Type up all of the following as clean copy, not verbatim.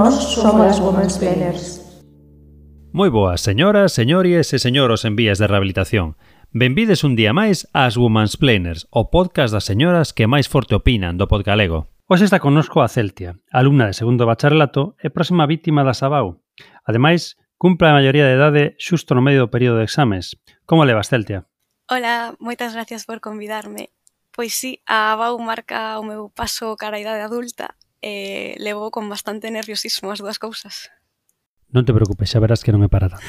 Nós somos as Womansplainers. Moi boas, señoras, señores e señoros en vías de rehabilitación. Benvides un día máis ás Womansplainers, o podcast das señoras que máis forte opinan do podgalego. Hoxe está connosco a Celtia, alumna de segundo bacharelato e próxima vítima da Sabau. Ademais, cumpre a maioría de idade xusto no medio do período de exames. Como levas, Celtia? Hola, moitas gracias por convidarme. Pois sí, a ABAU marca o meu paso cara a idade adulta e levo con bastante nerviosismo as dúas cousas. Non te preocupes, xa verás que non é para tanto.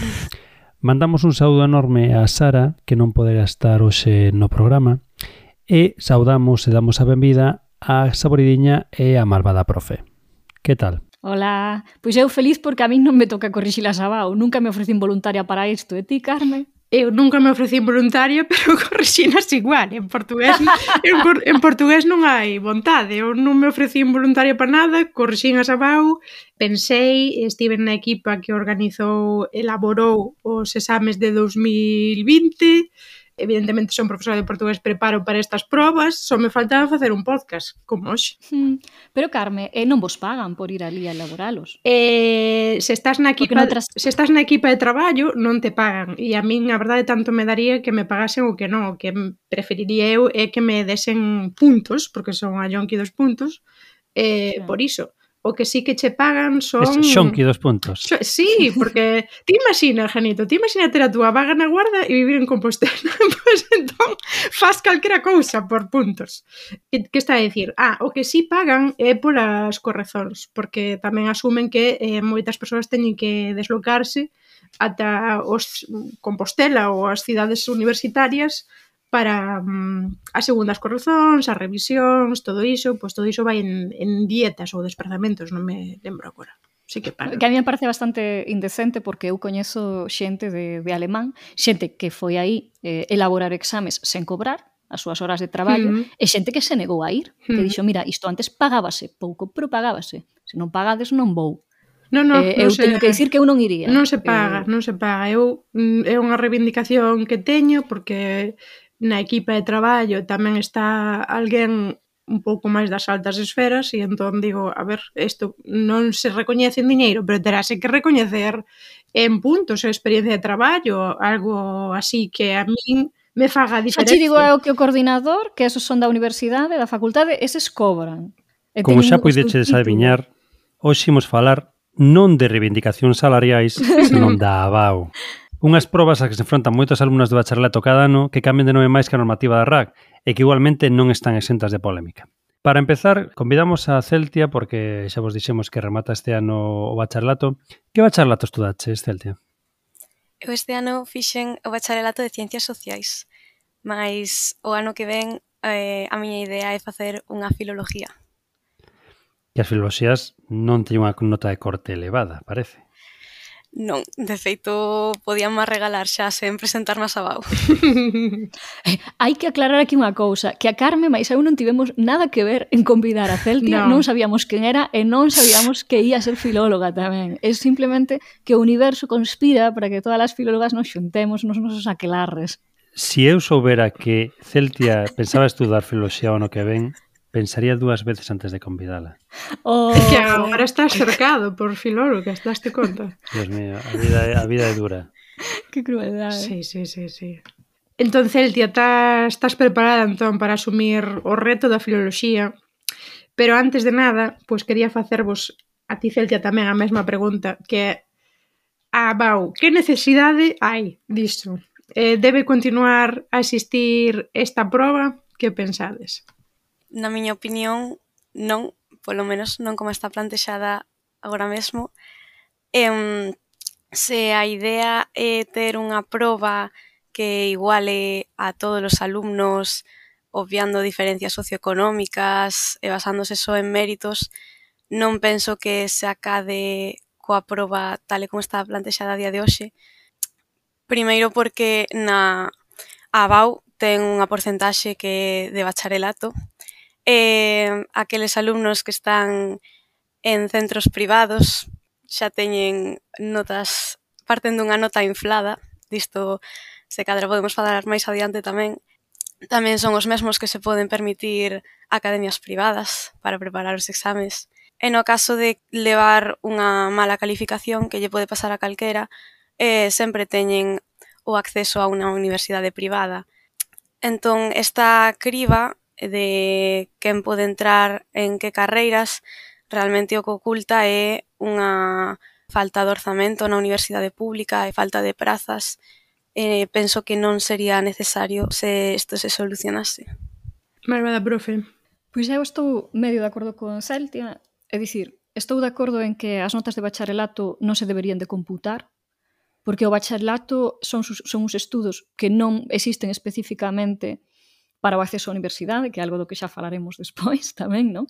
Mandamos un saúdo enorme a Sara, que non poderá estar hoxe no programa, e saudamos e damos a benvida a Saboridiña e a malvada profe. Que tal? Hola, pois eu feliz porque a min non me toca corrixir a Sabau, nunca me ofrecín voluntaria para isto, e ti, Carme? Eu nunca me ofrecín voluntaria, pero corrixinas igual. En portugués non hai vontade. Eu non me ofrecín voluntaria para nada, corrixín a Sabau, pensei, estive na equipa que elaborou os exames de 2020. Evidentemente son profesora de portugués, preparo para estas probas, só me faltaba facer un podcast, como hoxe. Pero, Carme, non vos pagan por ir ali a elaboralos? Se estás na equipa de traballo, non te pagan. E a min, a verdade, tanto me daría que me pagasen o que non. O que preferiría eu é que me desen puntos, porque son a Yonki 2 puntos, por iso. O que sí que che pagan son... Xonqui 2 puntos. Sí, porque ti imagina, Janito, ter a túa vaga na guarda e vivir en Compostela. Pois entón, faz calquera cousa por puntos. Que está a dicir? O que sí pagan é polas correzóns, porque tamén asumen que moitas persoas teñen que deslocarse ata os Compostela ou as cidades universitarias para as segundas correzóns, as revisións, todo iso, pois todo iso vai en dietas ou desprazamentos, non me lembro agora. Sí que pagan. Que a mí me parece bastante indecente porque eu coñezo xente de alemán, xente que foi aí elaborar exames sen cobrar as súas horas de traballo, e xente que se negou a ir, que dixo, mira, isto antes pagábase pouco, pero pagábase. Se non pagades non vou. Eu teño que dicir que eu non iría. Non se paga. É unha reivindicación que teño porque na equipa de traballo tamén está alguén un pouco máis das altas esferas e entón digo, a ver, isto non se recoñece en diñeiro, pero terase que recoñecer en puntos e experiencia de traballo, algo así que a min me faga a diferencia. Xa te digo eu que o coordinador, que esos son da universidade, da facultade, eses cobran. Como xa poideches adiviñar, hoxe imos falar non de reivindicacións salariais, senón da ABAU. Unhas probas a que se enfrontan moitos alumnos de bacharelato cada ano que cambian de nome máis que a normativa da RAC e que igualmente non están exentas de polémica. Para empezar, convidamos a Celtia porque xa vos dixemos que remata este ano o bacharelato. Que bacharelato estudaches, Celtia? Eu este ano fixen o bacharelato de Ciencias Sociais, mas o ano que ven a miña idea é facer unha filoloxía. Que as filoloxías non teñen unha nota de corte elevada, parece. Non, de feito, podíanme regalar xa sen presentarme a Sabau. Hai que aclarar aquí unha cousa, que a Carme máis eu non tivemos nada que ver en convidar a Celtia, non sabíamos quen era e non sabíamos que ia ser filóloga tamén. É simplemente que o universo conspira para que todas as filólogas nos xuntemos nos nosos aquelarres. Si eu soubera que Celtia pensaba estudar filoloxía o ano que ven, pensaría 2 veces antes de convidala. É que agora estás cercado por filólogas, daste conta? Dios mío, a vida é dura. Que crueldade. Sí. Entón, Celtia, estás preparada entón para asumir o reto da filoloxía, pero antes de nada, pois quería facervos a ti, Celtia, tamén a mesma pregunta, que é Bau, que necesidade hai disto? Debe continuar a existir esta proba? Que pensades? Na miña opinión, non, polo menos non como está plantexada agora mesmo. Se a idea é ter unha proba que iguale a todos os alumnos, obviando diferencias socioeconómicas e basándose só en méritos, non penso que se acade coa proba tal e como está plantexada a día de hoxe. Primeiro porque na ABAU ten unha porcentaxe que é de bacharelato, aqueles alumnos que están en centros privados xa teñen notas, parten dunha nota inflada, disto se cadra podemos falar máis adiante tamén son os mesmos que se poden permitir academias privadas para preparar os exames. E no caso de levar unha mala calificación, que lle pode pasar a calquera, sempre teñen o acceso a unha universidade privada. Entón, esta criba de quen pode entrar en que carreiras, realmente o que oculta é unha falta de orzamento na universidade pública e falta de prazas. Penso que non sería necesario se isto se solucionase. Malvada profe. Pois eu estou medio de acordo con Celtia, é dicir, estou de acordo en que as notas de bacharelato non se deberían de computar, porque o bacharelato son uns estudos que non existen especificamente para o acceso á universidade, que é algo do que xa falaremos despois tamén, non?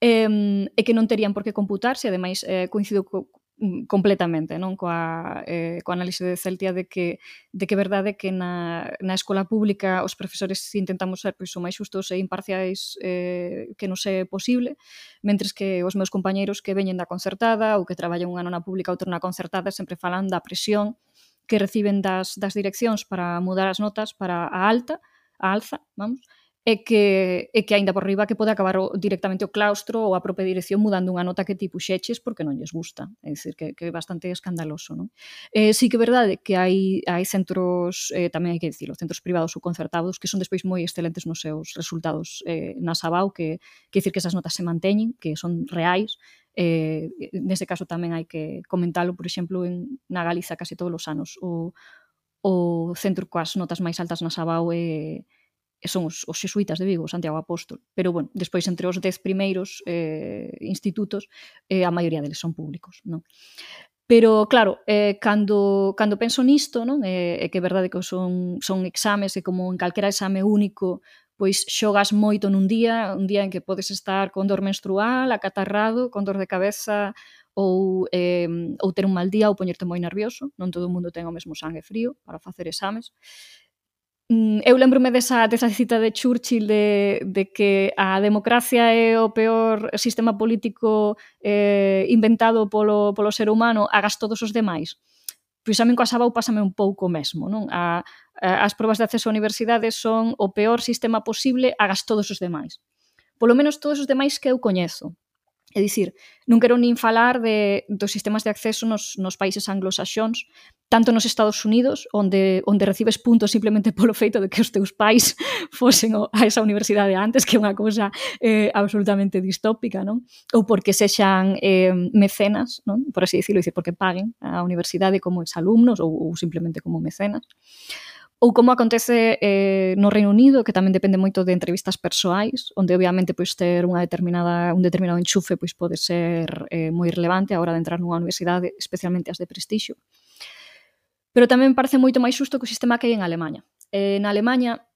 E que non terían por que computarse, ademais coincido completamente non coa análise de Celtia de que é verdade que na escola pública os profesores intentamos ser pois, o máis justos e imparciais que non é posible, mentres que os meus compañeiros que veñen da concertada ou que traballan un ano na pública outro na concertada sempre falan da presión que reciben das direccións para mudar as notas para a alza, vamos, e que aínda por riba que pode acabar directamente o claustro ou a propia dirección mudando unha nota que ti puxeches porque non lles gusta. É dicir, que é bastante escandaloso, non? Sí que é verdade que hai centros, tamén hai que dicirlo, centros privados ou concertados que son despois moi excelentes nos seus resultados na Sabao, que dicir que esas notas se manteñen, que son reais. Nese caso tamén hai que comentalo, por exemplo, na Galiza case todos os anos o centro coas notas máis altas na Sabao son os xesuítas de Vigo, Santiago Apóstol. Pero, bueno, despois entre os 10 primeiros institutos, a maioría deles son públicos, non? Pero, claro, cando penso nisto, non? É que é verdade que son exames e como en calquera exame único, pois xogas moito nun día, un día en que podes estar con dor menstrual, acatarrado, con dor de cabeza ou ter un mal día ou poñerte moi nervioso. Non todo o mundo ten o mesmo sangue frío para facer exames. Eu lembrome desa cita de Churchill de que a democracia é o peor sistema político inventado polo ser humano, agas todos os demais. Pois a min coa Sabao pásame un pouco mesmo, non? As probas de acceso á universidade son o peor sistema posible, agas todos os demais. Polo menos todos os demais que eu coñezo. É dicir, non quero nin falar dos sistemas de acceso nos países anglosaxóns, tanto nos Estados Unidos, onde recibes puntos simplemente polo feito de que os teus pais fosen a esa universidade antes, que é unha cousa absolutamente distópica, non? Ou porque sexan mecenas, non? Por así dicirlo, porque paguen a universidade como exalumnos ou simplemente como mecenas. Ou como acontece no Reino Unido, que tamén depende moito de entrevistas persoais, onde obviamente pois ter un determinado enchufe pois pode ser moi relevante a hora de entrar nunha universidade, especialmente as de prestixio. Pero tamén parece moito máis xusto que o sistema que hai en Alemanha. Na Alemanha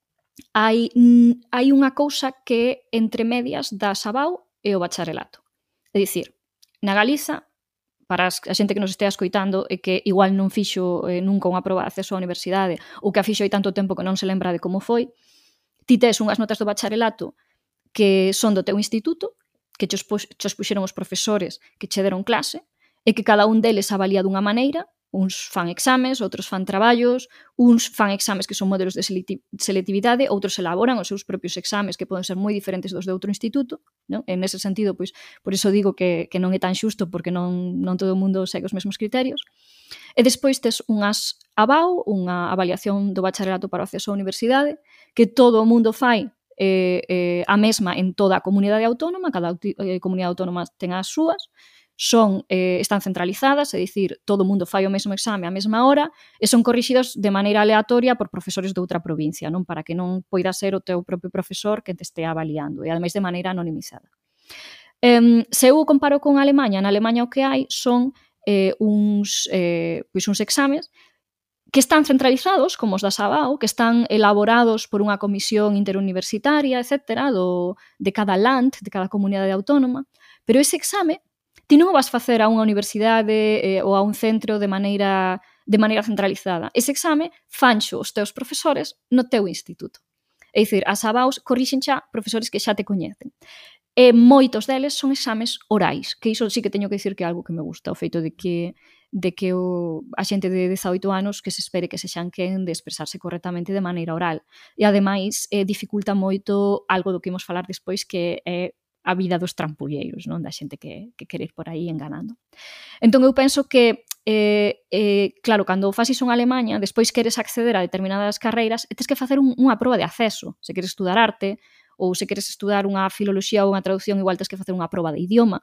hai unha cousa que é entre medias da Sabao e o bacharelato. É dicir, na Galiza, para a xente que nos estea escoitando e que igual non fixo nunca unha proba de acceso á universidade ou que a fixo hai tanto tempo que non se lembra de como foi, ti tes unhas notas do bacharelato que son do teu instituto, que chos puxeron os profesores que che deron clase e que cada un deles avalía dunha maneira, uns fan exames, outros fan traballos, uns fan exames que son modelos de selectividade, outros elaboran os seus propios exames que poden ser moi diferentes dos de outro instituto, non? En ese sentido, pois, por iso digo que non é tan xusto porque non todo o mundo segue os mesmos criterios. E despois tes unhas ABAU, unha avaliación do bacharelato para o acceso á universidade, que todo o mundo fai a mesma en toda a comunidade autónoma, cada comunidade autónoma ten as súas, están centralizadas, é dicir, todo o mundo fai o mesmo exame á mesma hora e son corrixidos de maneira aleatoria por profesores de outra provincia, non? Para que non poida ser o teu propio profesor que te estea avaliando e ademais de maneira anonimizada. Se eu comparo con Alemanha, na Alemanha o que hai son uns exames que están centralizados, como os da Sabao, que están elaborados por unha comisión interuniversitaria, etc., de cada land, de cada comunidade autónoma, pero ese exame ti non o vas facer a unha universidade ou a un centro de maneira centralizada. Ese exame fanxo os teus profesores no teu instituto. É dicir, as ABAUs corrixen xa profesores que xa te coñecen. E moitos deles son exames orais, que iso sí que teño que dicir que é algo que me gusta, o feito de que a xente de 18 anos que se espere que sexan quen de expresarse correctamente de maneira oral. E ademais dificulta moito algo do que imos falar despois, que é a vida dos trampulleiros, non? Da xente que quere ir por aí enganando. Entón eu penso que claro, cando fas iso en Alemanha, despois queres acceder a determinadas carreiras e tens que facer unha proba de acceso. Se queres estudar arte ou se queres estudar unha filoloxía ou unha traducción, igual tens que facer unha proba de idioma.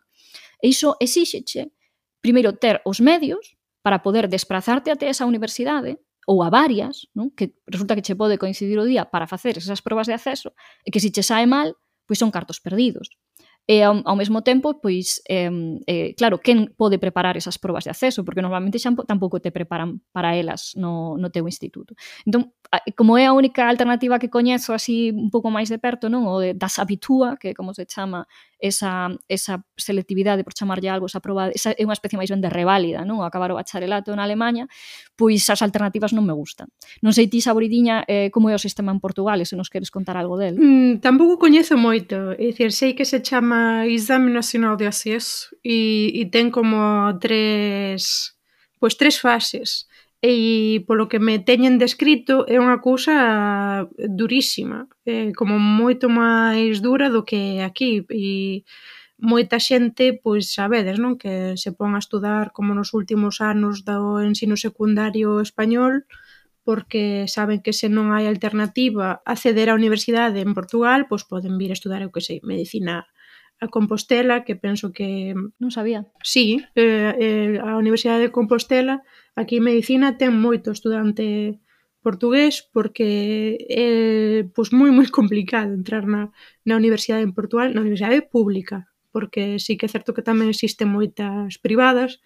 E iso exíxeche, primeiro, ter os medios para poder desprazarte até esa universidade ou a varias, non? Que resulta que che pode coincidir o día para facer esas probas de acceso e que se che sae mal, pois son cartos perdidos. E ao mesmo tempo, pois, claro, quen pode preparar esas probas de acceso? Porque normalmente xa tampouco te preparan para elas no teu instituto. Entón, como é a única alternativa que coñezo así un pouco máis de perto, non? O das Abitur, que como se chama esa selectividade, por chamarlle algo, esa proba, esa é unha especie máis ben de reválida, non? O acabar o bacharelato na Alemanha, pois as alternativas non me gustan. Non sei ti, Saboridiña, como é o sistema en Portugal, e se nos queres contar algo del. Tampouco coñezo moito, é dicir, sei que se chama Exame Nacional de Acceso e ten como tres fases. E polo que me teñen descrito é unha cousa durísima, como moito máis dura do que aquí, e moita xente, pois sabedes, non? Que se pon a estudar como nos últimos anos do ensino secundario español, porque saben que se non hai alternativa a acceder á universidade en Portugal, pois poden vir a estudar, eu que sei, medicina a Compostela, que penso que... Non sabía. Sí, a Universidade de Compostela, aquí en medicina, ten moito estudante portugués, porque é pois, moi complicado entrar na universidade en Portugal, na universidade pública, porque sí que é certo que tamén existen moitas privadas,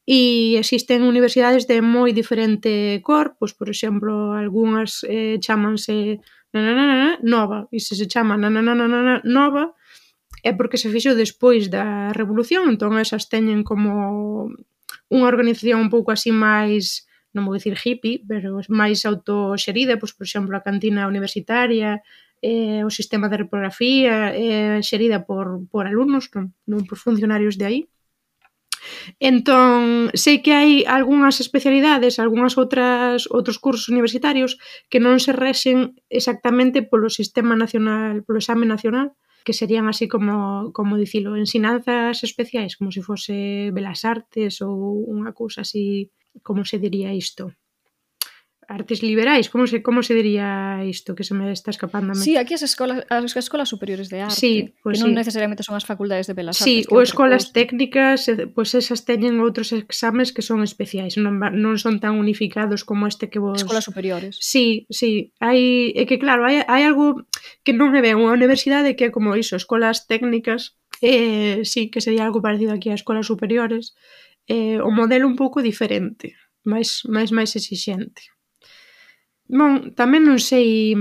e existen universidades de moi diferente cor, pois, por exemplo, algunhas chámanse Nova, e se chama Nova, é porque se fixo despois da Revolución, entón esas teñen como unha organización un pouco así máis, non vou dicir hippie, pero máis autoxerida, pois, por exemplo, a cantina universitaria, o sistema de reprografía, xerida por alumnos, non por funcionarios de aí. Entón, sei que hai algunhas especialidades, algunhas outros cursos universitarios que non se rexen exactamente polo sistema nacional, polo exame nacional, que serían así como dicilo, ensinanzas especiais, como se fose Belas Artes ou unha cousa así, como se diría isto? Artes liberais, como se diría isto, que se me está escapando a mí? Sí, aquí as escolas superiores de arte, sí, pues que non sí. necesariamente son as facultades de Belas Artes. Sí, ou escolas técnicas, pois esas teñen outros exames que son especiais, non son tan unificados como este que vos... Escolas superiores. Sí, é que claro, hai algo que non me ve unha universidade que é como iso, escolas técnicas, sí, que sería algo parecido aquí a escolas superiores, o modelo un pouco diferente, máis exixente. Bon, tamén non sei...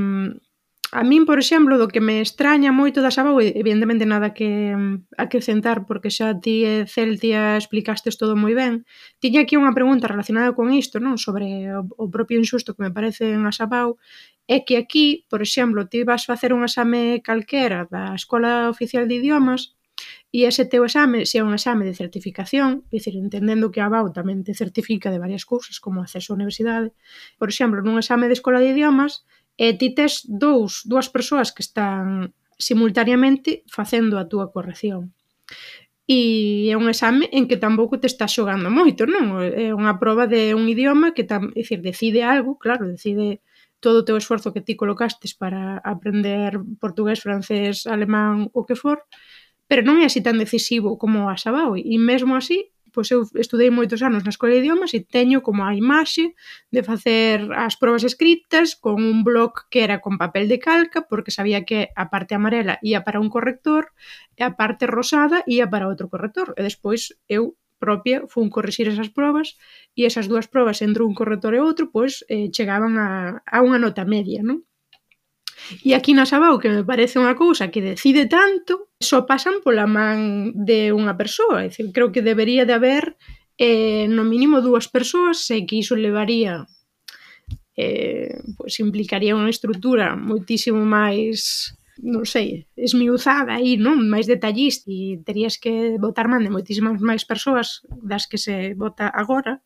A min, por exemplo, do que me extraña moito da Sabau, evidentemente nada que acrescentar, porque xa ti e Celtia explicastes todo moi ben. Tiña aquí unha pregunta relacionada con isto, non? Sobre o propio insusto que me parece en a Sabau, é que aquí, por exemplo, ti vas facer un exame calquera da Escola Oficial de Idiomas, e ese teu exame, se é un exame de certificación, é dicir, entendendo que a ABAU tamén te certifica de varias cousas, como acceso á universidade, por exemplo, nun exame de Escola de Idiomas, ti tes dúas persoas que están simultaneamente facendo a túa corrección. E é un exame en que tampouco te estás xogando moito, non? É unha proba de un idioma que, decide algo, claro, decide todo o teu esforzo que ti colocastes para aprender portugués, francés, alemán, o que for, pero non é así tan decisivo como a Sabau, e mesmo así, pois eu estudei moitos anos na Escola de Idiomas e teño como a imaxe de facer as probas escritas con un bloc que era con papel de calca, porque sabía que a parte amarela ia para un corrector e a parte rosada ia para outro corrector, e despois eu propia fun corrixir esas probas e esas dúas probas entre un corrector e outro, pois chegaban a unha nota media, non? E aquí na Sabau, que me parece unha cousa que decide tanto, só pasan pola man de unha persoa. É dicir, creo que debería de haber no mínimo 2 persoas, sei que iso levaría, pois implicaría unha estrutura moitísimo máis, non sei, esmiuzada aí, non? Máis detallista, e terías que botar man de moitísimas máis persoas das que se bota agora,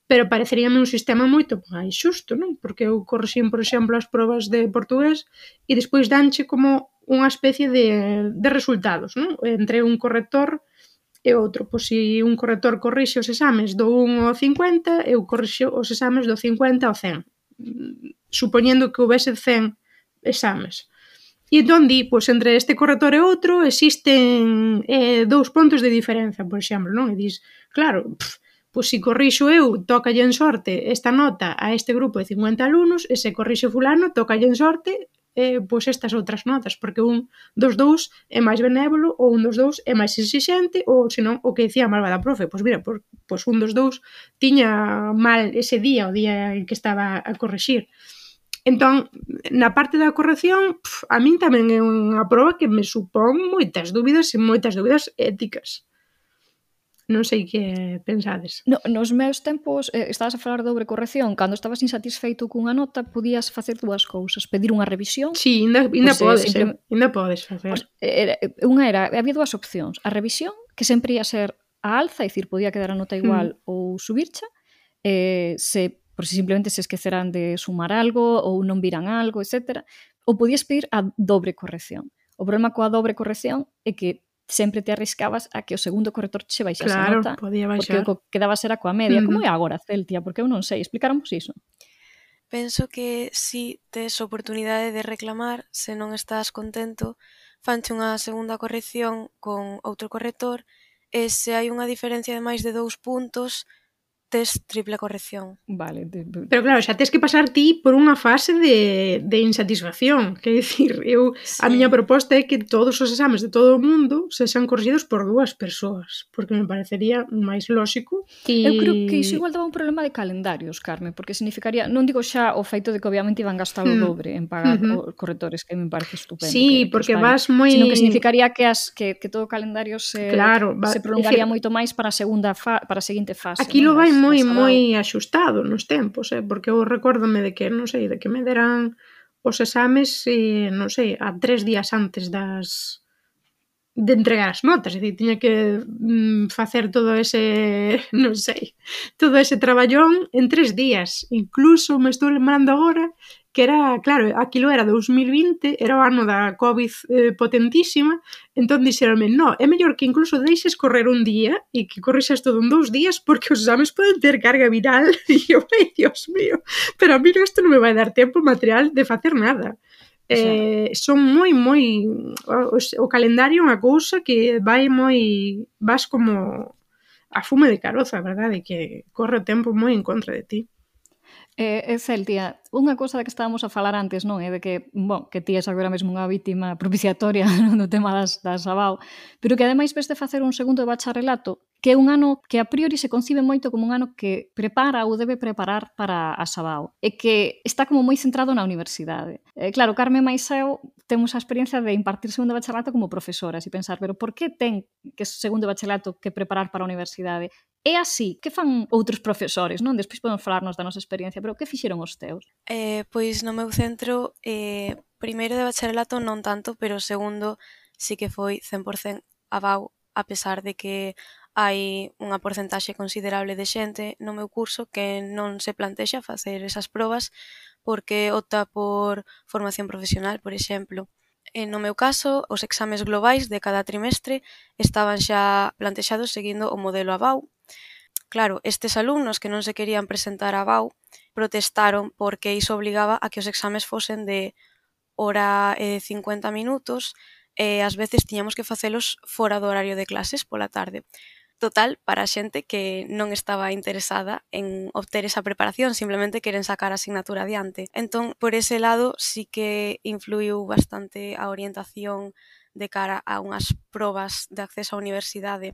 pero pareceríame un sistema moito máis xusto, non? Porque eu correxín, por exemplo, as probas de portugués e despois danche como unha especie de resultados, non? Entre un corrector e outro. Pois se un corrector corrixe os exames do 1 ao 50, eu corrixo os exames do 50 ao 100. Supoñendo que houvese 100 exames. E entón di, pois entre este corrector e outro existen 2 puntos de diferenza, por exemplo, non? E dis, claro, pois se corrixo eu, tócalle en sorte esta nota a este grupo de 50 alumnos, e se corrixe fulano, tócalle en sorte pois estas outras notas, porque un dos dous é máis benévolo ou un dos dous é máis exixente ou senón o que dicía a malvada profe, pois mira, pois un dos dous tiña mal ese día, o día en que estaba a corrixir. Entón, na parte da corrección, a min tamén é unha proba que me supón moitas dúbidas e moitas dúbidas éticas. Non sei que pensades. Nos meus tempos, estabas a falar de dobre corrección, cando estabas insatisfeito cunha nota, podías facer dúas cousas, pedir unha revisión. Sí, ainda podes, ainda podes facer. Había dúas opcións, a revisión, que sempre ia ser a alza, é dicir, podía quedar a nota igual ou subircha, por si simplemente se esqueceran de sumar algo ou non viran algo, etc. Ou podías pedir a dobre corrección. O problema coa dobre corrección é que sempre te arriscabas a que o segundo corrector che baixase a nota, podía baixar. porque o que quedabas era coa media. Como é agora, Celtia? Porque eu non sei, explicaramos iso. Penso que si tes oportunidade de reclamar, se non estás contento, fanche unha segunda corrección con outro corrector, e se hai unha diferencia de máis de 2 puntos, tes triple corrección. Vale. Pero claro, xa tes que pasar ti por unha fase de insatisfacción. Quer dicir, a miña proposta é que todos os exames de todo o mundo sexan corrixidos por 2 persoas, porque me parecería máis lóxico. Eu creo que iso igual daba un problema de calendarios, Carmen, porque significaría, non digo xa o feito de que obviamente iban gastar o dobre en pagar os correctores, que me parece estupendo. Sí, porque vas moi... Sino que significaría que todo o calendario se prolongaría moito máis para a seguinte fase. Aquilo vai moi axustado nos tempos, porque eu recórdome de que, non sei, de que me deran os exames, non sei, a 3 días antes de entregar as notas, é dicir, tiña que facer todo ese, non sei, todo ese traballón en 3 días. Incluso me estou lembrando agora que era, claro, aquilo era 2020, era o ano da COVID potentísima, entón dixeronme, no, é mellor que incluso deixes correr un día e que corrixas todo en 2 días porque os exames poden ter carga viral. E eu, ai, Dios mío, pero a mí isto non me vai dar tempo material de facer nada. Son moi o calendario é unha cousa que vas como a fume de caroza, verdade, que corre o tempo moi en contra de ti. Celtia, unha cousa da que estábamos a falar antes, non é de que, que ti és agora mesmo unha vítima propiciatoria no tema das ABAO, pero que ademais ves de facer un segundo de bacharelato, que é un ano que a priori se concibe moito como un ano que prepara ou debe preparar para a ABAO, e que está como moi centrado na universidade. Claro, Carmen máis eu temos a experiencia de impartir segundo de bacharelato como profesoras e pensar, pero por que ten que segundo de bacharelato que preparar para a universidade? É así, que fan outros profesores, non? Despois podemos falarnos da nosa experiencia, pero que fixeron os teus? Pois no meu centro, primeiro de bacharelato non tanto, pero segundo sí que foi 100% ABAU, a pesar de que hai unha porcentaxe considerable de xente no meu curso que non se plantexa facer esas probas porque opta por formación profesional, por exemplo. No meu caso, os exames globais de cada trimestre estaban xa plantexados seguindo o modelo ABAU. Claro, estes alumnos que non se querían presentar a ABAU protestaron porque iso obligaba a que os exames fosen de hora e 50 minutos e ás veces tiñamos que facelos fora do horario de clases pola tarde. Total, para a xente que non estaba interesada en obter esa preparación, simplemente queren sacar a asignatura adiante. Entón, por ese lado, sí que influiu bastante a orientación de cara a unhas probas de acceso á universidade.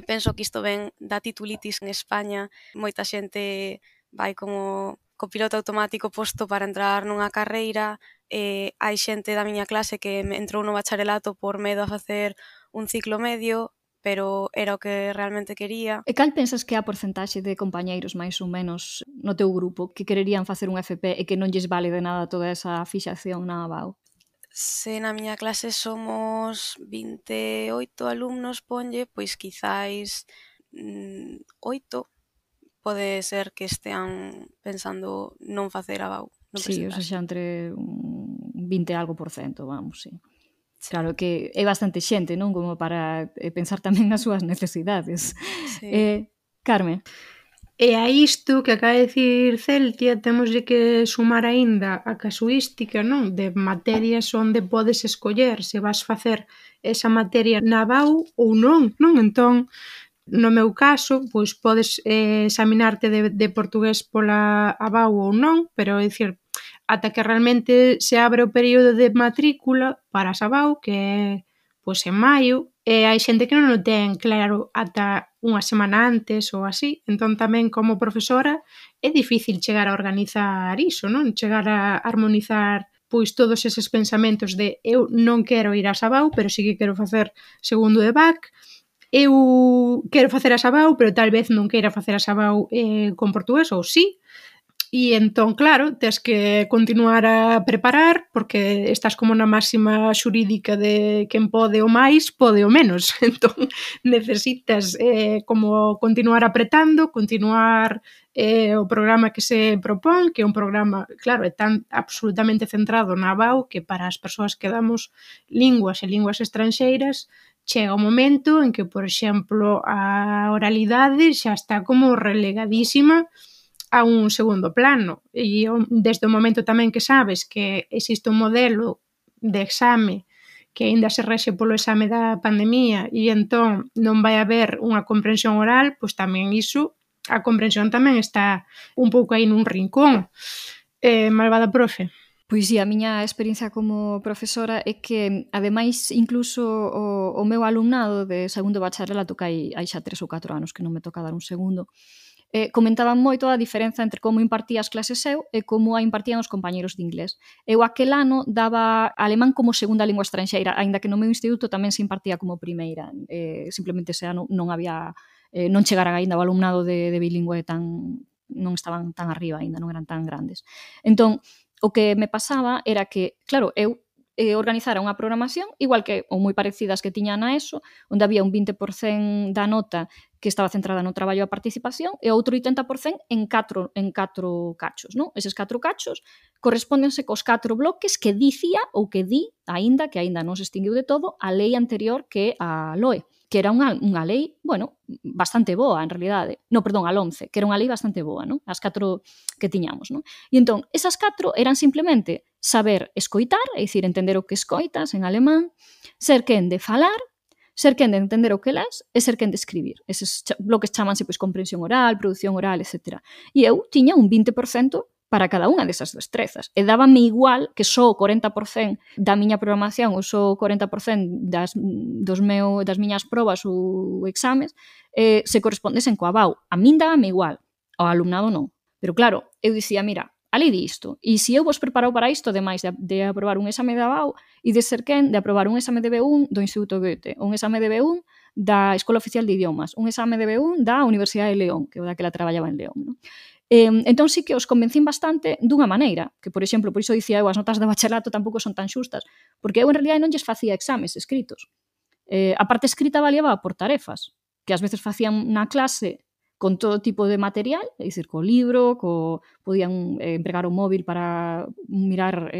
Penso que isto ven da titulitis en España. Moita xente vai como co piloto automático posto para entrar nunha carreira. Hai xente da miña clase que entrou no bacharelato por medo a facer un ciclo medio, pero era o que realmente quería. E cal pensas que é a porcentaxe de compañeiros máis ou menos no teu grupo que quererían facer un FP e que non lles vale de nada toda esa fixación na ABAU? Se na miña clase somos 28 alumnos, ponlle, pois quizáis 8 pode ser que estean pensando non facer ABAU. Sí, o sea, xa entre 20 algo por cento, vamos, sí. Claro que é bastante xente, non? Como para pensar tamén nas súas necesidades. Sí. Carme. E a isto que acaba de dicir Celtia, temoslle que sumar aínda a casuística, non? De materias onde podes escoller se vas facer esa materia na BAU ou non, non? Entón, no meu caso, pois podes examinarte de portugués pola ABAU ou non, pero é dicir, ata que realmente se abre o período de matrícula para a ABAU, que é pois en maio, e hai xente que non o ten claro ata unha semana antes ou así, entón tamén como profesora é difícil chegar a organizar iso, non? Chegar a armonizar pois todos eses pensamentos de eu non quero ir a Sabau, pero sí que quero facer segundo de BAC, eu quero facer a Sabau, pero tal vez non queira facer a Sabau con portugués, ou sí. E entón, claro, tes que continuar a preparar porque estás como na máxima xurídica de quen pode o máis, pode o menos. Entón, necesitas como continuar apretando, continuar o programa que se propón, que é un programa, claro, é tan absolutamente centrado na BAU que para as persoas que damos linguas e linguas estranxeiras chega o momento en que, por exemplo, a oralidade xa está como relegadísima a un segundo plano e desde o momento tamén que sabes que existe un modelo de exame que aínda se rexe polo exame da pandemia e entón non vai haber unha comprensión oral, pois tamén iso, a comprensión tamén está un pouco aí nun rincón. Malvada profe. Pois sí, a miña experiencia como profesora é que, ademais, incluso o meu alumnado de segundo bacharelato, que hai xa 3 ou 4 anos que non me toca dar un segundo, comentaban moito a diferenza entre como impartía as clases eu e como a impartían os compañeros de inglés. Eu aquel ano daba alemán como segunda lingua estranxeira, aínda que no meu instituto tamén se impartía como primeira. Simplemente ese ano non había, non chegaran aínda o alumnado de bilingüe non estaban tan arriba aínda, non eran tan grandes. Entón, o que me pasaba era que, claro, eu organizara unha programación igual que ou moi parecidas que tiña na ESO, onde había un 20% da nota que estaba centrada no traballo e a participación e outro 80% en catro cachos, non? Eses 4 cachos correspóndense cos 4 bloques que dicía ou que di, aínda que aínda non se extinguiu de todo, a lei anterior que a LOE, que era unha lei, bueno, bastante boa, en realidade. No, perdón, a LOMCE, que era unha lei bastante boa, non? As 4 que tiñamos, non? E entón, esas 4 eran simplemente saber escoitar, é dicir, entender o que escoitas en alemán, ser quen de falar, ser quen de entender o que lés e ser quen de escribir. Eses bloques chamanse pois comprensión oral, produción oral, etc. E eu tiña un 20% para cada unha desas destrezas. E dábame igual que só o 40% da miña programación ou só o 40% das miñas probas ou exames se correspondesen coa BAU. A min dábame igual, ao alumnado non. Pero claro, eu dicía, mira, a lei di isto, e se eu vos preparo para isto, ademais de aprobar un exame da BAU e de ser quen de aprobar un exame de B1 do Instituto Goethe, un exame de B1 da Escola Oficial de Idiomas, un exame de B1 da Universidade de León, que é o daquela traballaba en León, non? Entón sí que os convencín bastante dunha maneira, que, por exemplo, por iso dicía eu, as notas de bacharelato tampouco son tan xustas, porque eu en realidad non lles facía exames escritos. A parte escrita variaba por tarefas, que ás veces facían na clase con todo tipo de material, é dicir, co libro, podían empregar o móvil para mirar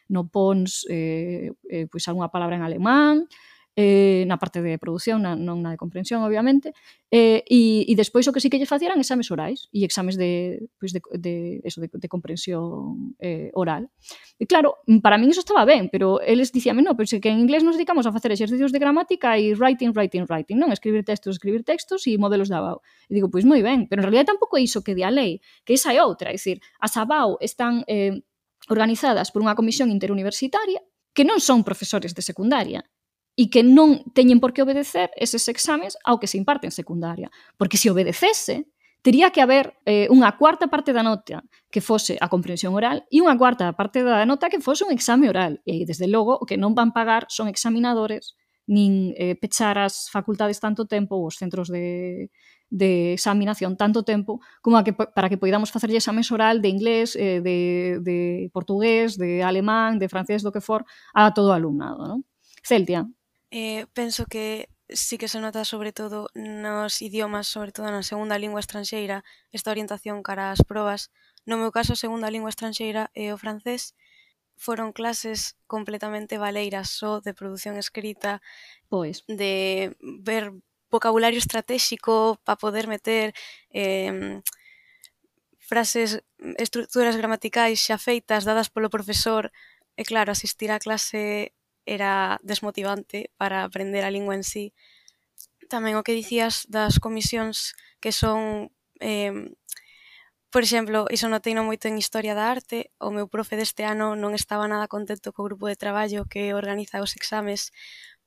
no Pons pois algunha palabra en alemán, na parte de produción, non na de comprensión, obviamente, e despois o que sí que lle facían exames orais e exames de comprensión oral. E claro, para min iso estaba ben, pero eles dicíame, no, pero se que en inglés nos dedicamos a facer exercicios de gramática e writing, non? Escribir textos e modelos da BAU. E digo, pois moi ben, pero en realidad tampouco é iso que di a lei, que esa é outra, é dicir, as ABAU están organizadas por unha comisión interuniversitaria que non son profesores de secundaria, e que non teñen por que obedecer eses exames ao que se imparte en secundaria. Porque se obedecese, tería que haber unha cuarta parte da nota que fose a comprensión oral e unha cuarta parte da nota que fose un exame oral. E, desde logo, o que non van pagar son examinadores nin pechar as facultades tanto tempo ou os centros de examinación tanto tempo como para que poidamos facerlle exames oral de inglés, de portugués, de alemán, de francés, do que for, a todo o alumnado, non? Celtia. Penso que sí que se nota sobre todo nos idiomas, sobre todo na segunda lingua estranxeira, esta orientación cara ás probas. No meu caso, a segunda lingua estranxeira é o francés foron clases completamente valeiras só de produción escrita, Pois. de ver vocabulario estratégico para poder meter frases, estructuras gramaticais xa feitas dadas polo profesor, e claro, asistir á clase era desmotivante para aprender a lingua en sí. Tamén o que dicías das comisións que son, por exemplo, iso noteino moito en Historia da Arte. O meu profe deste ano non estaba nada contento co grupo de traballo que organiza os exames,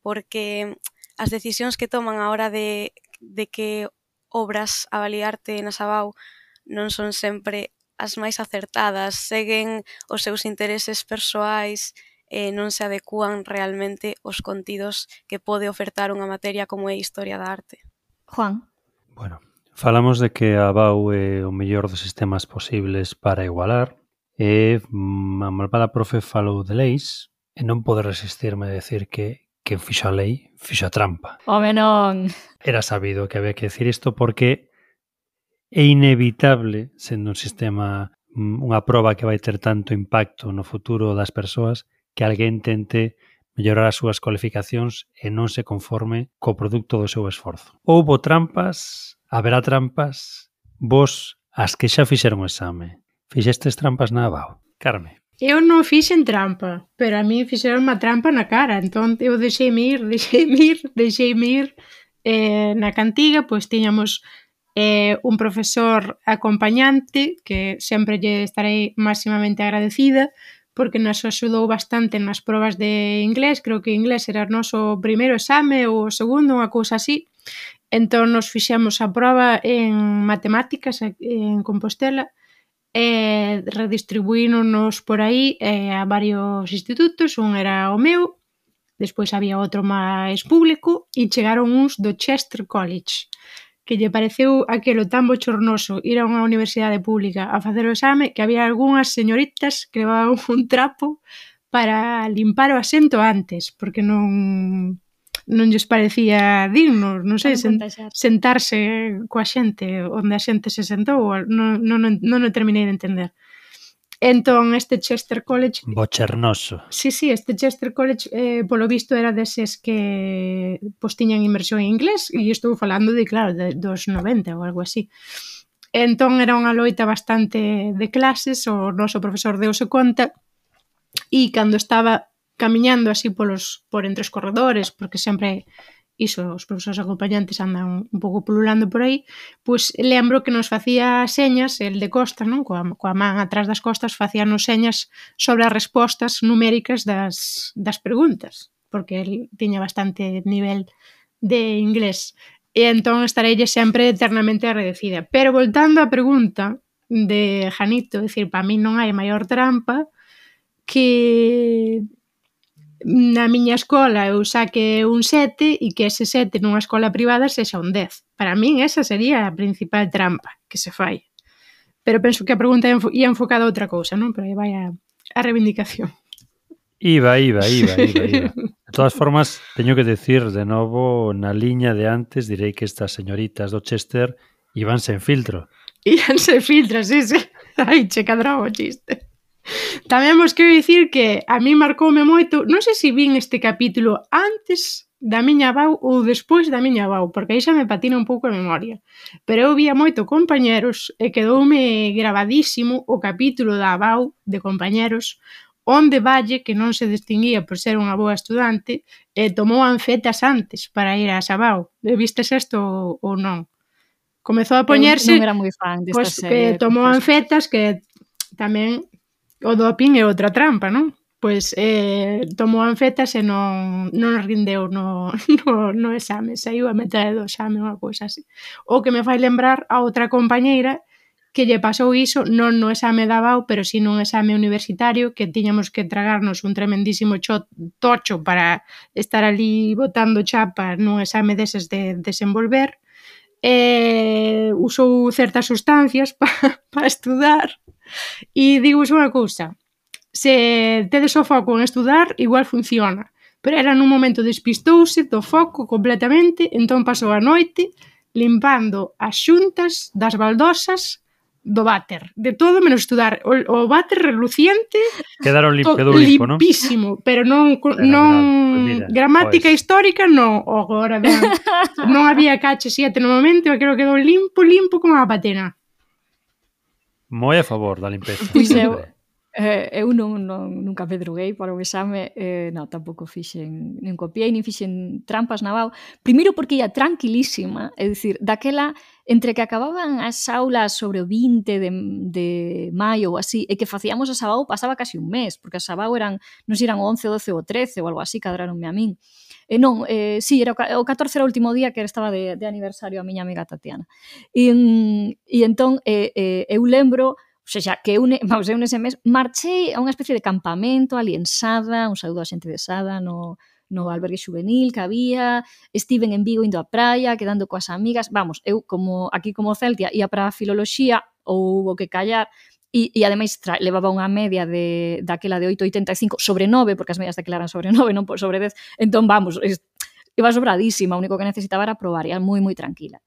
porque as decisións que toman a hora de que obras avaliarte na Sabau non son sempre as máis acertadas, seguen os seus intereses persoais e non se adecúan realmente aos contidos que pode ofertar unha materia como é Historia da Arte. Juan? Bueno, falamos de que a BAU é o mellor dos sistemas posibles para igualar e a malvada profe falou de leis e non pode resistirme a decir que quen fixo a lei fixo a trampa. Home, non! Era sabido que había que decir isto porque é inevitable, sendo un sistema, unha proba que vai ter tanto impacto no futuro das persoas, que alguén tente mellorar as súas cualificacións e non se conforme co produto do seu esforzo. Houbo trampas, haberá trampas, vos, as que xa fixeron o exame, fixestes trampas na ABAO? Carme. Eu non fixen trampa, pero a mí fixeron unha trampa na cara, entón eu deixeime ir. Na cantiga, pois tiñamos un profesor acompañante que sempre lle estarei máximamente agradecida porque nos axudou bastante nas probas de inglés. Creo que inglés era o noso primeiro exame ou o segundo, unha cousa así. Entón nos fixemos a proba en matemáticas en Compostela e redistribuíronos por aí a varios institutos. Un era o meu, despois había outro máis público e chegaron uns do Chester College, que lle pareceu aquelo tan bochornoso ir a unha universidade pública a facer o exame que había algunhas señoritas que levaban un trapo para limpar o asento antes, porque non lles parecía digno, non sei, sentarse coa xente onde a xente se sentou, non o terminei de entender. Entón, este Chester College... Bochernoso. Sí, este Chester College, polo visto, era deses que pois tiñan inmersión en inglés, e estou falando de, claro, dos 90 ou algo así. Entón, era unha loita bastante de clases, o noso profesor deuse conta, e cando estaba camiñando así por entre os corredores, porque sempre iso, os profesores acompañantes andan un pouco pululando por aí, pois lembro que nos facía señas, el de costas, non? Coa man atrás das costas, facíanos señas sobre as respostas numéricas das preguntas, porque el tiña bastante nivel de inglés. E entón estareille sempre eternamente agradecida. Pero voltando á pregunta de Janito, decir, para mí non hai maior trampa que na miña escola eu saque un 7 e que ese 7 nunha escola privada sexa un 10. Para min esa sería a principal trampa que se fai. Pero penso que a pregunta ia enfocada a outra cousa, non? Pero aí vai a reivindicación. Iba. De todas formas, teño que decir de novo, na liña de antes, direi que estas señoritas do Chester iban sen filtro. Iban sen filtro, sí. Ai, che cadrou o chiste. Tamén vos quero dicir que a mí marcoume moito, non sei se vin este capítulo antes da miña avau ou despois da miña avau, porque aí xa me patina un pouco a memoria. Pero eu vía moito compañeros e quedoume gravadísimo o capítulo da avau de compañeros onde Valle, que non se distinguía por ser unha boa estudante, tomou anfetas antes para ir a Sabau. Vistes isto ou non? Comezou a poñerse... Eu non era moi fan desta serie. Tomou anfetas que tamén... O doping é outra trampa, non? Pois tomou anfetas e non rindeu no exame, saiu a metade do exame, unha cousa así. O que me fai lembrar a outra compañeira que lle pasou iso, non no exame da BAU, pero si nun exame universitario, que tiñamos que tragarnos un tremendísimo tocho para estar ali botando chapa nun exame deses de desenvolver, usou certas sustancias para estudar. E digos unha cousa, se tedes o foco en estudar, igual funciona, pero era nun momento despistouse do foco completamente, entón pasou a noite limpando as xuntas das baldosas do váter, de todo menos estudar. O váter reluciente, Quedaron quedou limpo, non? limpísimo, pero non Pues mira, gramática histórica non, agora non había KH7 no momento, e creo que quedou limpo como a patena. Moi a favor da limpeza. Pois eu nunca me droguei para o exame, tampouco fixen, nin copiei, nin fixen trampas na BAU. Primeiro porque ia tranquilísima, é dicir, daquela, entre que acababan as aulas sobre o 20 de maio ou así, e que facíamos a BAU, pasaba casi un mes, porque as BAU eran, non sei, eran 11, 12 ou 13 ou algo así, cadraronme a min. Sí, era o 14 era o último día que estaba de aniversario a miña amiga Tatiana. E entón, eu lembro, o sea, que eu nese mes marchei a unha especie de campamento ali en Sada, un saúdo a xente de Sada no albergue juvenil que había, estiven en Vigo indo á praia, quedando coas amigas, vamos, eu como Celtia ia para a filoloxía ou o que callar, e ademais levaba unha media daquela de 8,85 sobre 9, porque as medias daquela eran sobre 9, non sobre 10, entón vamos, iba sobradísima, o único que necesitaba era probar, ia moi tranquila.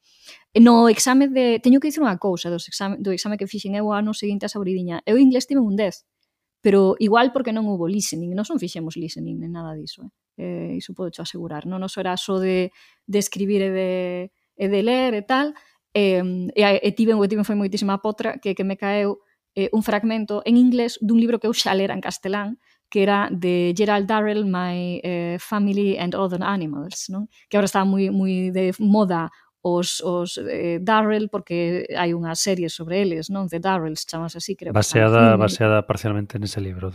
No exame teño que dicir unha cousa do exame que fixen eu o ano seguinte a Sabridiña. Eu inglés tive un 10, pero igual porque non houve listening, non fixemos listening nen nada diso. Iso podo cho asegurar. Non era só de escribir e de ler e tal. Tiven foi moitísima potra que me caeu un fragmento en inglés dun libro que eu xa lera en castelán, que era de Gerald Darrell, My Family and Other Animals, non? Que agora está moi de moda os Darrell, porque hai unha serie sobre eles, non? The Darrells, chamas así, creo. Baseada parcialmente nese libro.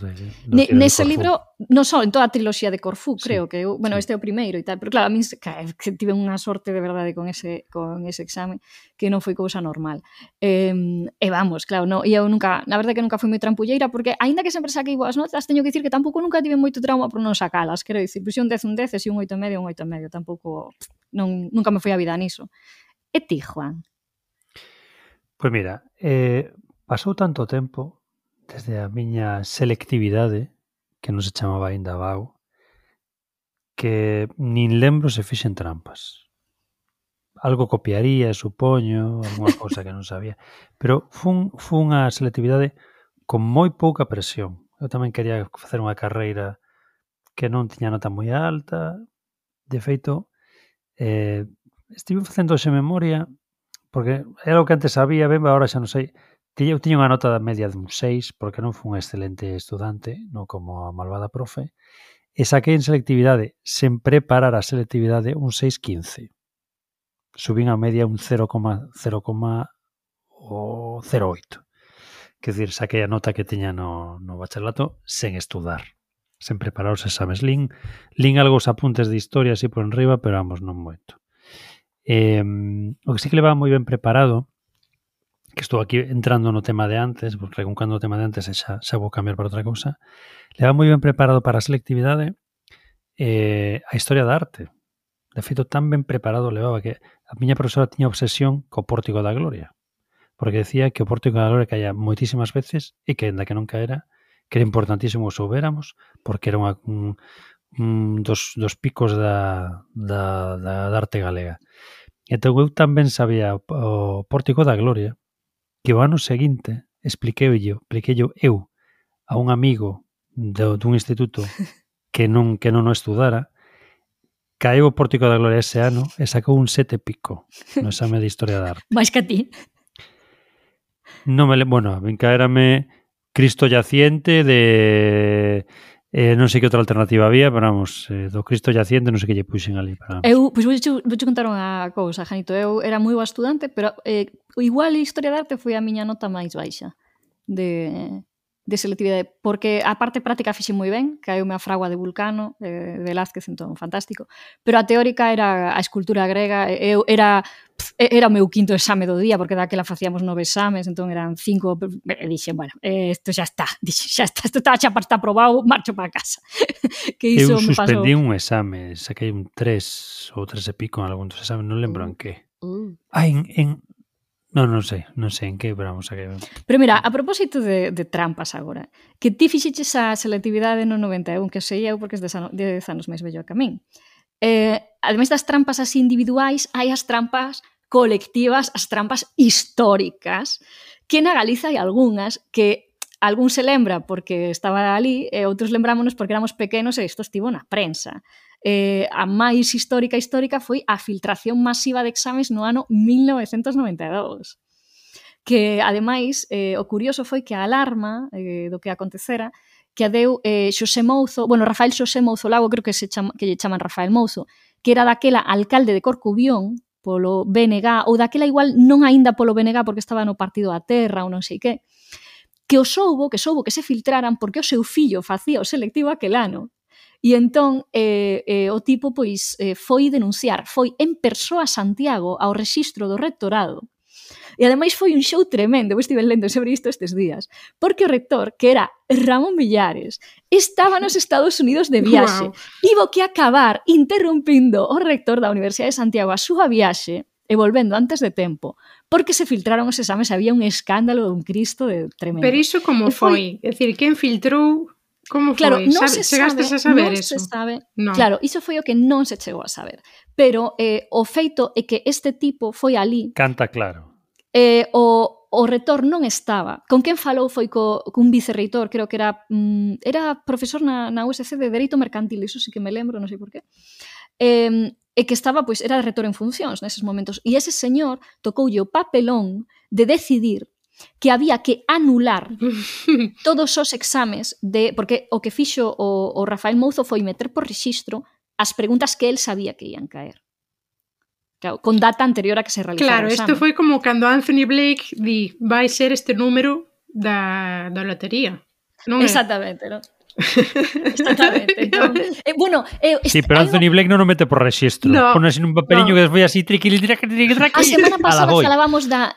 Nese libro, non só en toda a triloxía de Corfú, creo que este é o primeiro e tal, pero claro, a min que tive unha sorte de verdade con ese exame, que non foi cousa normal. Vamos, claro, eu nunca, na verdade que nunca fui moi trampulleira, porque aínda que sempre saquei boas notas, teño que dicir que tampouco nunca tive moito trauma por non sacalas, quero dicir, un 10, e un 8,5, tampouco, nunca me foi a vida niso. E ti, Juan? Pois mira, pasou tanto tempo desde a miña selectividade, que non se chamaba aínda BAU, que nin lembro se fixen trampas. Algo copiaría, supoño, alguna cousa que non sabía. Pero fun unha selectividade con moi pouca presión. Eu tamén quería facer unha carreira que non tiña nota moi alta. De feito, estive facendo hoxe memoria, porque era o que antes sabía, ben, agora xa non sei. Eu tiña unha nota da media dun 6, porque non fui un excelente estudante, non como a malvada profe, e saquei en selectividade, sen preparar a selectividade, un 6,15. Subín a media un 0,08. Quer dizer, saquei a nota que tiña no bacharelato sen estudar, sen preparar os exames. Lín algo os apuntes de historia así por enriba, pero vamos, non moito. O que sí que levaba moi ben preparado, que estou aquí entrando no tema de antes, recuncando o tema de antes e xa vou cambiar para outra cousa, levaba moi ben preparado para a selectividade a historia da arte. De feito, tan ben preparado levaba que a miña profesora tiña obsesión co Pórtico da Gloria, porque decía que o Pórtico da Gloria caía moitísimas veces e que, ainda que non caera, que era importantísimo que soubéramos, porque era un dos picos da arte galega. Entón, eu tamén sabía o Pórtico da Gloria, que o ano seguinte expliqueillo eu a un amigo dun instituto que non o estudara. Caeu o Pórtico da Gloria ese ano e sacou un 7 pico no exame de Historia da Arte. Mais que a ti? Bueno, a min caérame Cristo Yaciente de... non sei que outra alternativa había, pero vamos, do Cristo Yaciente non sei que lle puxen ali. Pois vouche contar unha cousa, Janito. Eu era moi boa estudante, pero igual Historia da Arte foi a miña nota máis baixa de selectividade, porque a parte práctica fixe moi ben, caeume a fragua de Vulcano, de Velázquez, entón, fantástico, pero a teórica era a escultura grega, era o meu quinto exame do día, porque daquela facíamos 9 exames, entón eran 5, e dixen, bueno, isto xa está, isto está xa para estar aprobado, marcho para casa. Que iso eu me pasou. suspendí un exame, saquei un 3 ou 3 e pico en algún dos exames, non lembro en que. Non sei en que, pero vamos a que... Pero mira, a propósito de trampas agora, que ti fixeches a selectividade no 91, que sei eu porque é 10 anos máis vello que a min. Ademais das trampas así individuais, hai as trampas colectivas, as trampas históricas, que na Galiza hai algunhas que algún se lembra porque estaba ali e outros lembrámonos porque éramos pequenos e isto estivo na prensa. A máis histórica foi a filtración masiva de exames no ano 1992. Que, ademais, o curioso foi que a alarma do que acontecera que a deu Xosé Mouzo, Rafael Xosé Mouzo Lago, creo que lle chaman Rafael Mouzo, que era daquela alcalde de Corcubión, polo BNG, ou daquela igual non aínda polo BNG porque estaba no Partido da Terra ou non sei que soubo que se filtraran porque o seu fillo facía o selectivo aquel ano. E entón o tipo pois foi denunciar, foi en persoa a Santiago ao rexistro do rectorado. E ademais foi un show tremendo, eu estive lendo sobre isto estes días, porque o rector, que era Ramón Villares, estaba nos Estados Unidos de viaxe, tivo que acabar interrompindo o rector da Universidade de Santiago a súa viaxe e volvendo antes de tempo, porque se filtraron os exames, había un escándalo dun Cristo de tremendo. Pero iso como foi? É dicir, quen filtrou? Como foi? Claro, non se sabe, chegastes a saber non eso? Se sabe. No. Claro, iso foi o que non se chegou a saber. Pero o feito é que este tipo foi ali. Canta claro. O rector non estaba. Con quen falou foi cun vicerreitor, creo que era profesor na USC de Dereito Mercantil, iso sí que me lembro, non sei por qué. E que estaba, pois, era rector en funcións neses momentos. E ese señor tocoulle o papelón de decidir que había que anular todos os exames porque o que fixo o Rafael Mouzo foi meter por rexistro as preguntas que el sabía que ian caer. Claro, con data anterior a que se realizara o exame. Claro, isto foi como cando Anthony Blake di vai ser este número da lotería. Non Exactamente, non? Exactamente. Entón, sí, pero Anthony Blake non o mete por rexistro. No, pon así nun papeliño que despois así triqui. A semana pasada falábamos da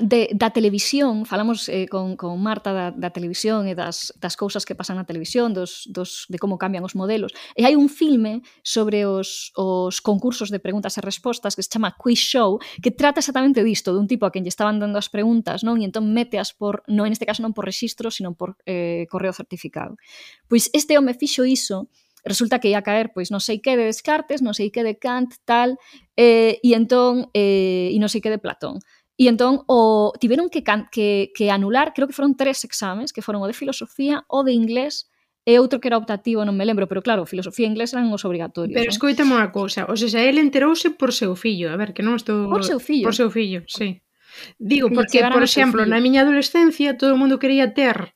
televisión, falamos con Marta da televisión e das cousas que pasan na televisión, de como cambian os modelos. E hai un filme sobre os concursos de preguntas e respostas que se chama Quiz Show, que trata exactamente disto, dun tipo a quen lle estaban dando as preguntas, non? E entón meteas en este caso non por rexistro, sino por correo certificado. Pois este home fixo iso, resulta que ia caer, pois non sei que de Descartes, non sei que de Kant, tal, e entón, e non sei que de Platón. E entón tiveron que anular, creo que foron 3 exames, que foron o de filosofía, o de inglés, e outro que era optativo, non me lembro, pero claro, filosofía e inglés eran os obrigatorios. Pero escoitame unha cousa, o sea, ele enterouse por seu fillo, a ver, que non estou... Por seu fillo? Por seu fillo, sí. Digo, porque, por exemplo, na miña adolescencia todo o mundo quería ter...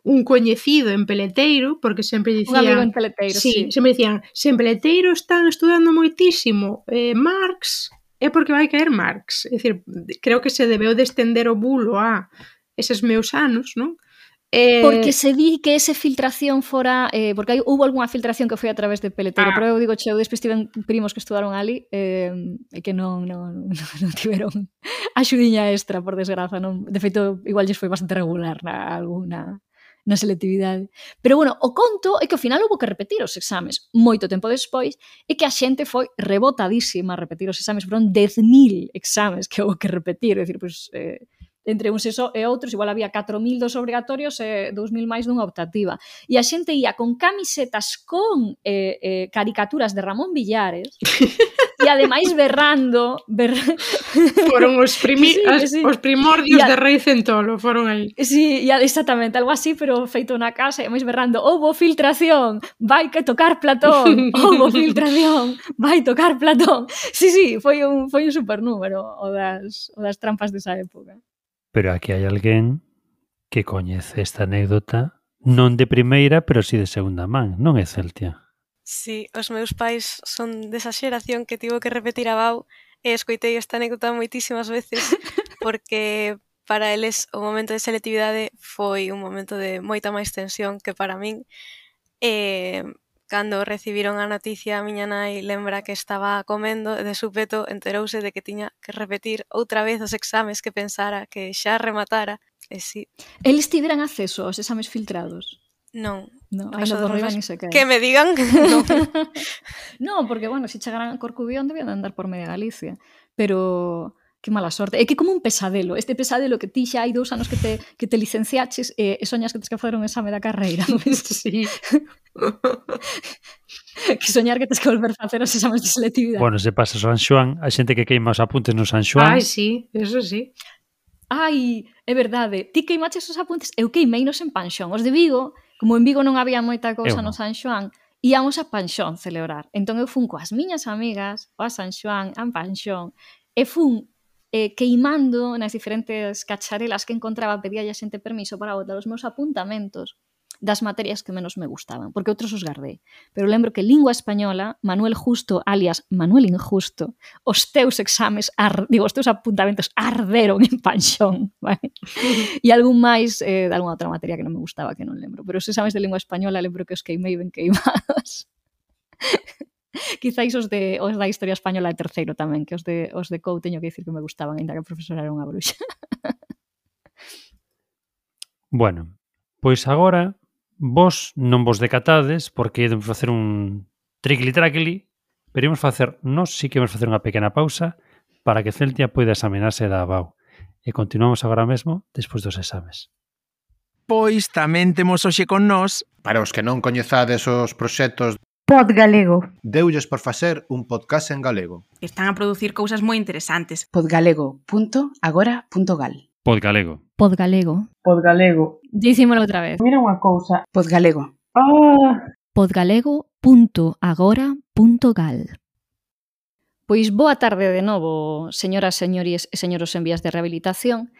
un coñecido en Peleteiro, porque sempre dicían... Un amigo en Peleteiro, sí. Sempre dicían, se en Peleteiro están estudando moitísimo Marx, é porque vai caer Marx. É dicir, creo que se debeu de estender o bulo a eses meus anos, non? Porque se di que ese filtración fora... porque houve algunha filtración que foi a través de Peleteiro, pero eu digo, despois tiven primos que estudaron ali e que non tiveron axudiña extra, por desgraza. Non. De feito, igual lles foi bastante regular na selectividade. Pero, o conto é que ao final houve que repetir os exames moito tempo despois e que a xente foi rebotadísima a repetir os exames. Foron 10.000 exames que houve que repetir. É dicir, entre uns e outros, igual había 4.000 dos obrigatorios e 2.000 máis dunha optativa. E a xente ia con camisetas con caricaturas de Ramón Villares e ademais berrando... Foron os primordios de Rei Centolo, foron aí. Sí, exactamente, algo así, pero feito na casa, e ademais berrando, houbo filtración, vai que tocar Platón, houbo filtración, vai tocar Platón. Sí, foi un supernúmero o das trampas desa época. Pero aquí hai alguén que coñece esta anécdota non de primeira, pero si de segunda man, non é Celtia? Sí, os meus pais son desa xeración que tivo que repetir a Bau e escoitei esta anécdota moitísimas veces porque para eles o momento de selectividade foi un momento de moita máis tensión que para min. Cando recibiron a noticia, a miña nai lembra que estaba comendo e de súpeto enterouse de que tiña que repetir outra vez os exames que pensara que xa rematara. E sí. Eles tiveran acceso aos exames filtrados? Non. Aí non dorriba ni se queda. Que me digan que non. Non, porque, se chegaran a Corcubión debían andar por media Galicia. Pero... que mala sorte. É que como un pesadelo. Este pesadelo que ti xa hai 2 anos que te licenciaches e soñas que tens que facer un exame da carreira. Sí. Que soñar que tens que volver a facer os exames de selectividade. Se pasa San Xoán, a xente que queima os apuntes no San Xoán. Sí, eso sí. Ai, é verdade, ti queimaches os apuntes, eu queimeinos en Panxón. Os de Vigo, como en Vigo non había moita cousa no San Xoán, íamos a Panxón celebrar. Entón eu fun coas miñas amigas a San Xoán, a Panxón, e fun queimando nas diferentes cacharelas que encontraba, pedía a xente permiso para botar os meus apuntamentos das materias que menos me gustaban, porque outros os guardei. Pero lembro que lingua española, Manuel Justo, alias Manuel Injusto, os teus exames, os teus apuntamentos arderon en Panxón, vale? E algún máis de algunha outra materia que non me gustaba, que non lembro. Pero os exames de lingua española lembro que os queimei ben queimados. Quizáis os da historia española de terceiro tamén, que os de COU teño que dicir que me gustaban, ainda que a profesora era unha bruxa. Bueno, pois agora vos non vos decatades porque íamos facer un triqui-traquili, pero íamos facer, nós sí que íamos facer unha pequena pausa para que Celtia poida examinarse da ABAU. E continuamos agora mesmo despois dos exames. Pois tamén temos hoxe con nós, para os que non coñezades os proxectos Pod Galego. deulles por facer un podcast en galego. Están a producir cousas moi interesantes. podgalego.agora.gal Podgalego. Podgalego. Podgalego. Dicímolo outra vez. Mira unha cousa. Podgalego. podgalego.agora.gal. Pois boa tarde de novo, señoras, señores e señoros en vías de rehabilitación.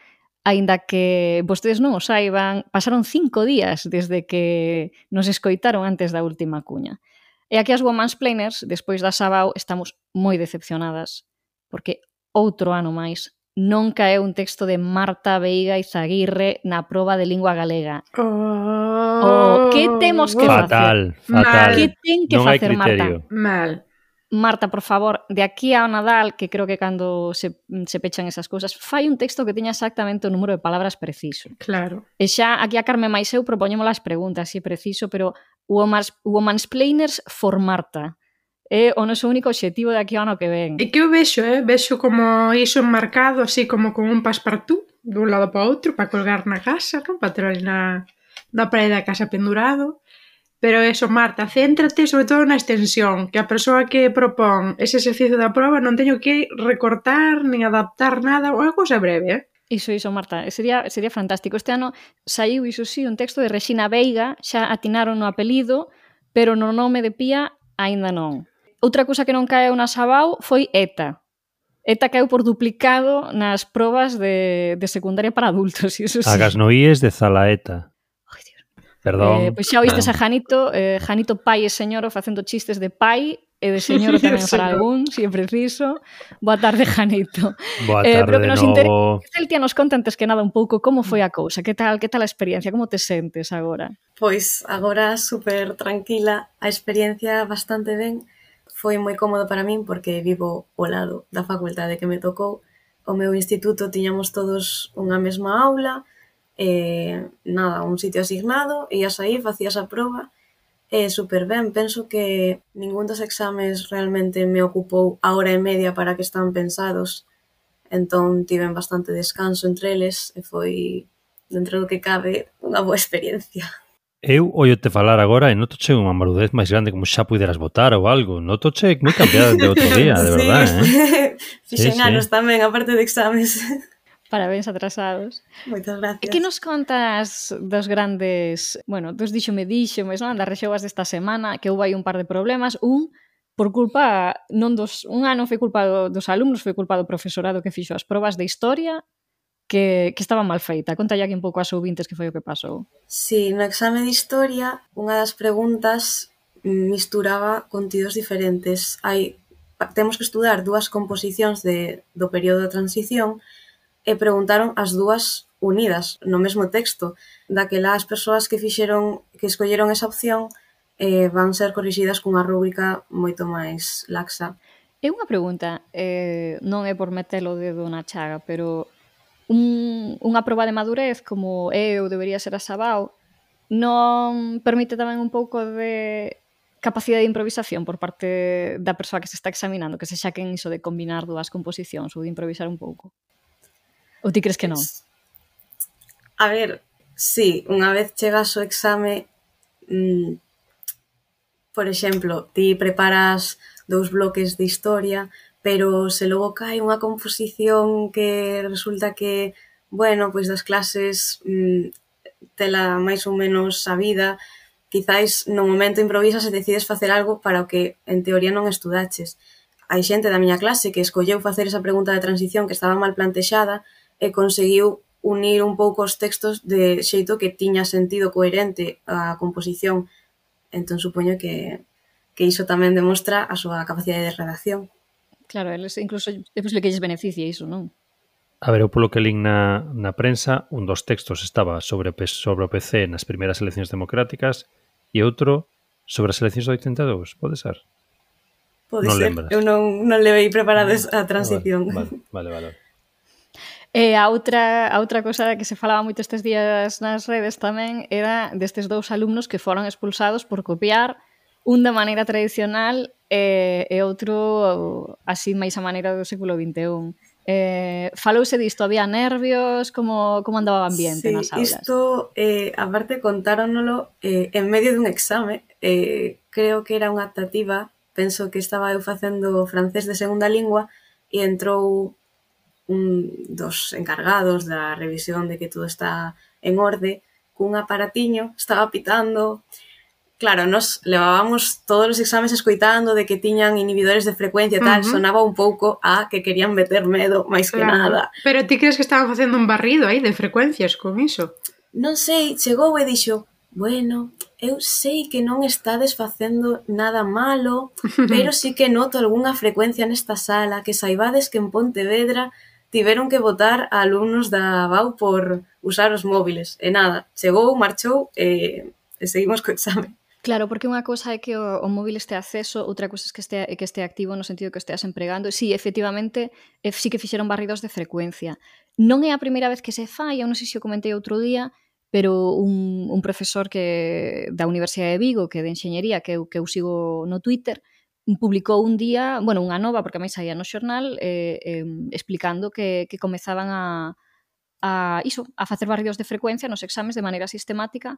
Aínda que vostedes non o saiban, pasaron 5 días desde que nos escoitaron antes da última cuña. E aquí as Womansplainers, despois da Sabao, estamos moi decepcionadas, porque outro ano máis non caeu un texto de Marta Veiga Izaguirre na proba de lingua galega. Que temos que facer? Fatal. Que ten que non hai facer criterio. Marta? Mal. Marta, por favor, de aquí ao Nadal, que creo que cando se pechan esas cousas, fai un texto que teña exactamente o número de palabras preciso. Claro. E xa aquí a Carme máis eu propoñemos as preguntas, se preciso, pero Womansplainers for Marta é o noso único obxectivo de aquí ao ano que ven. E que eu vexo como iso enmarcado, así como con un passepartout, dun lado para outro, para colgar na casa, non? Para ter ali na parede da casa pendurado. Pero eso, Marta, céntrate sobre todo na extensión, que a persoa que propón ese exercicio da proba non teño que recortar nin adaptar nada, unha cousa breve, Iso, Marta, sería fantástico. Este ano saiu, iso sí, un texto de Rexina Veiga, xa atinaron no apelido, pero no nome de Pía aínda non. Outra cousa que non caeu na Sabao foi ETA. ETA caeu por duplicado nas probas de secundaria para adultos. Iso sí. Agas noíes de Zalaeta. Perdón. Pois xa oístes a Janito, Janito pai e señoro facendo chistes de pai e de señoro tamén para algún, se é preciso. Boa tarde, Janito. Boa tarde pero que de nos novo. Celtia nos conta antes que nada un pouco como foi a cousa, que tal a experiencia, como te sentes agora? Pois agora super tranquila, a experiencia bastante ben. Foi moi cómodo para min porque vivo ao lado da facultade que me tocou. O meu instituto tiñamos todos unha mesma aula, un sitio asignado, ías aí, facías a proba, super ben. Penso que ningún dos exames realmente me ocupou a hora e media para que están pensados, entón tiven bastante descanso entre eles e foi, dentro do que cabe, unha boa experiencia. Eu oiote falar agora e notoche unha marudez máis grande como xa puderas votar ou algo. Notoche moi cambiada de outro día, de verdade, Fixen anos tamén, aparte de exames. Parabéns atrasados. Moitas gracias. E que nos contas dos grandes, dos díxomes, non? Das rexeguas desta semana, que houve aí un par de problemas. Por culpa, un ano foi culpa dos alumnos, foi culpa do profesorado que fixo as probas de historia, que estaba mal feita. Contalle aquí un pouco aos ouvintes que foi o que pasou. Sí, no exame de historia, unha das preguntas misturaba contidos diferentes. Temos que estudar dúas composicións do período da transición e preguntaron as dúas unidas no mesmo texto. Daquela as persoas que escolleron esa opción van ser corrixidas cunha rúbrica moito máis laxa. É unha pregunta, non é por meter o dedo na chaga, pero unha proba de madurez como eu debería ser a Sabao non permite tamén un pouco de capacidade de improvisación por parte da persoa que se está examinando, que se xaquen iso de combinar dúas composicións ou de improvisar un pouco? Ou ti crees que non? A ver, sí, unha vez chegas ao exame, por exemplo, ti preparas 2 bloques de historia, pero se logo cae unha composición que resulta que bueno, pois das clases tela máis ou menos sabida, quizáis no momento improvisas e decides facer algo para o que en teoría non estudaches. Hai xente da miña clase que escolleu facer esa pregunta de transición que estaba mal plantexada e conseguiu unir un pouco os textos de xeito que tiña sentido coherente a composición. Entón, supoño que iso tamén demostra a súa capacidade de redacción. Claro, eles incluso é posible que lles beneficie iso, non? A ver, eu polo que lín na prensa, un dos textos estaba sobre o PC nas primeiras eleccións democráticas e outro sobre as eleccións do 82, pode ser? Pode non ser, lembras. eu non levei preparada a transición. Vale. E a outra cosa que se falaba moito estes días nas redes tamén era destes dous alumnos que foron expulsados por copiar un de maneira tradicional e outro así máis a maneira do século XXI. Falouse disto, había nervios, como andaba o ambiente nas aulas? Isto, aparte contáronolo en medio dun exame, creo que era unha optativa, penso que estaba eu facendo francés de segunda lingua e entrou un dos encargados da revisión de que todo está en orde, cun aparatiño, estaba pitando. Claro, nos levábamos todos os exames escoitando de que tiñan inhibidores de frecuencia e tal, sonaba un pouco a que querían meter medo, máis que nada. Pero ti crees que estaban facendo un barrido aí de frecuencias con iso? Non sei, chegou e dixo, bueno, eu sei que non estades facendo nada malo, pero sí que noto algunha frecuencia nesta sala, que saibades que en Pontevedra tiveron que votar a alumnos da BAU por usar os móviles. E nada, chegou, marchou e seguimos co exame. Claro, porque unha cousa é que o móvil este acceso, outra cousa é que este activo no sentido que esteas empregando. Sí, efectivamente, sí que fixeron barridos de frecuencia. Non é a primeira vez que se fai, eu non sei se o comentei outro día, pero un profesor da Universidade de Vigo, que é de Enxeñería, que eu sigo no Twitter, publicou un día, bueno, unha nova, porque a máis saía no xornal, explicando que comezaban a facer barridos de frecuencia nos exames de maneira sistemática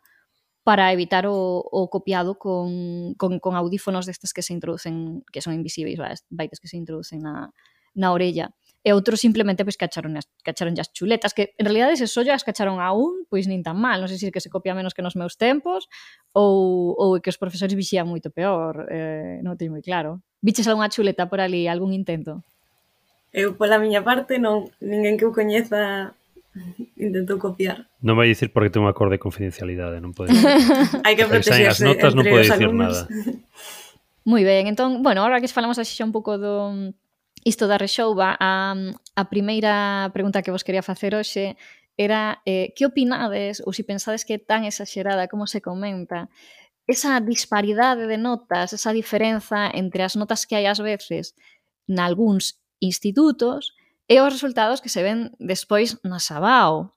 para evitar o copiado con audífonos destes que se introducen, que son invisíveis, baites que se introducen na orella. E outros simplemente pois cacharon as chuletas, que en realidade se só as cacharon aún, pois nin tan mal. Non sei se que se copia menos que nos meus tempos ou que os profesores vixían moito peor, non teño moi claro. Viches algunha chuleta por ali, algún intento? Eu, pola miña parte, non, ninguén que eu coñeza intentou copiar. Non vai dicir porque ten un acordo de confidencialidade, non pode dicir. Hai que protegerse as notas non entre pode os dicir alumnos. nada. Moi ben, entón, bueno, ahora que falamos así xa un pouco do isto da rexouba, a primeira pregunta que vos quería facer hoxe era que opinades, ou se pensades que é tan exagerada como se comenta, esa disparidade de notas, esa diferenza entre as notas que hai ás veces nalgúns institutos e os resultados que se ven despois na Sabao.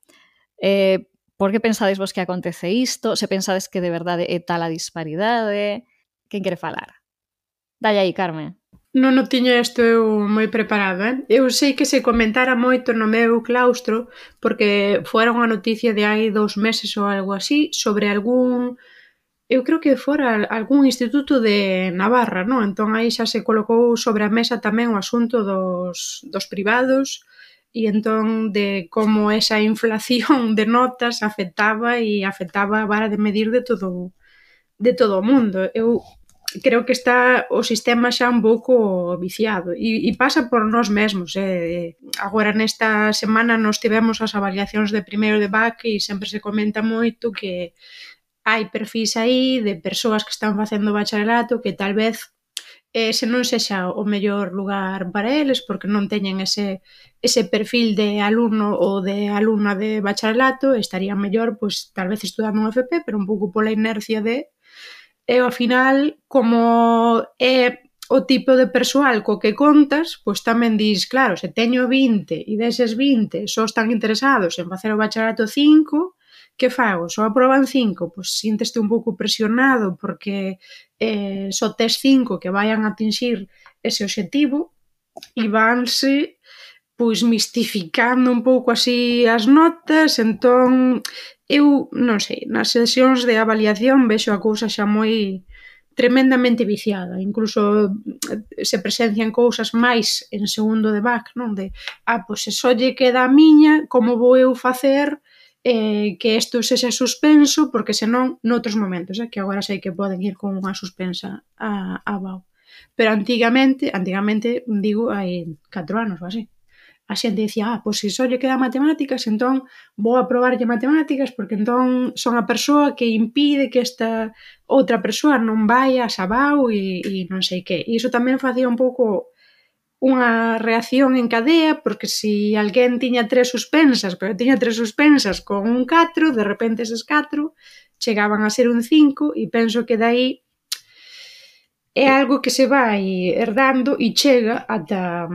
Por que pensades vos que acontece isto? Se pensades que de verdade é tal a disparidade? Quen quere falar? Dalle aí, Carmen. Non o tiña isto eu moi preparado, Eu sei que se comentara moito no meu claustro porque fora unha noticia de hai 2 meses ou algo así sobre algún... Eu creo que fora algún instituto de Navarra, non? Entón aí xa se colocou sobre a mesa tamén o asunto dos privados e entón de como esa inflación de notas afectaba a vara de medir de todo o mundo. Eu creo que está o sistema xa un pouco viciado e pasa por nós mesmos. Agora nesta semana nos tivemos as avaliacións de primeiro de BAC e sempre se comenta moito que hai perfis aí de persoas que están facendo bacharelato que tal vez se non sexa o mellor lugar para eles porque non teñen ese perfil de alumno ou de alumna de bacharelato, estaría mellor pois tal vez estudando un FP, pero un pouco pola inercia e ao final como é o tipo de persoal co que contas, pois tamén dis, claro, se teño 20 e deses 20 só están interesados en facer o bacharelato 5, que fago? Só aproban 5? Pois sínteste un pouco presionado porque só tes 5 que vayan a atinxir ese obxectivo e vanse pois mistificando un pouco así as notas, entón eu non sei, nas sesións de avaliación vexo a cousa xa moi tremendamente viciada, incluso se presencian cousas máis en segundo de BAC, non? De, pois se só lle queda a miña, como vou eu facer que isto sexa suspenso, porque senón, noutros momentos, que agora sei que poden ir con unha suspensa a BAU. Pero antigamente, digo, hai 4 anos ou así, a xente dicía, pois se só lle queda matemáticas, entón vou aprobarlle matemáticas porque entón son a persoa que impide que esta outra persoa non vai a Sabao e non sei que. E iso tamén facía un pouco unha reacción en cadea, porque se alguén tiña 3 suspensas, pero tiña 3 suspensas con un 4, de repente eses 4 chegaban a ser un 5 e penso que dai é algo que se vai herdando e chega ata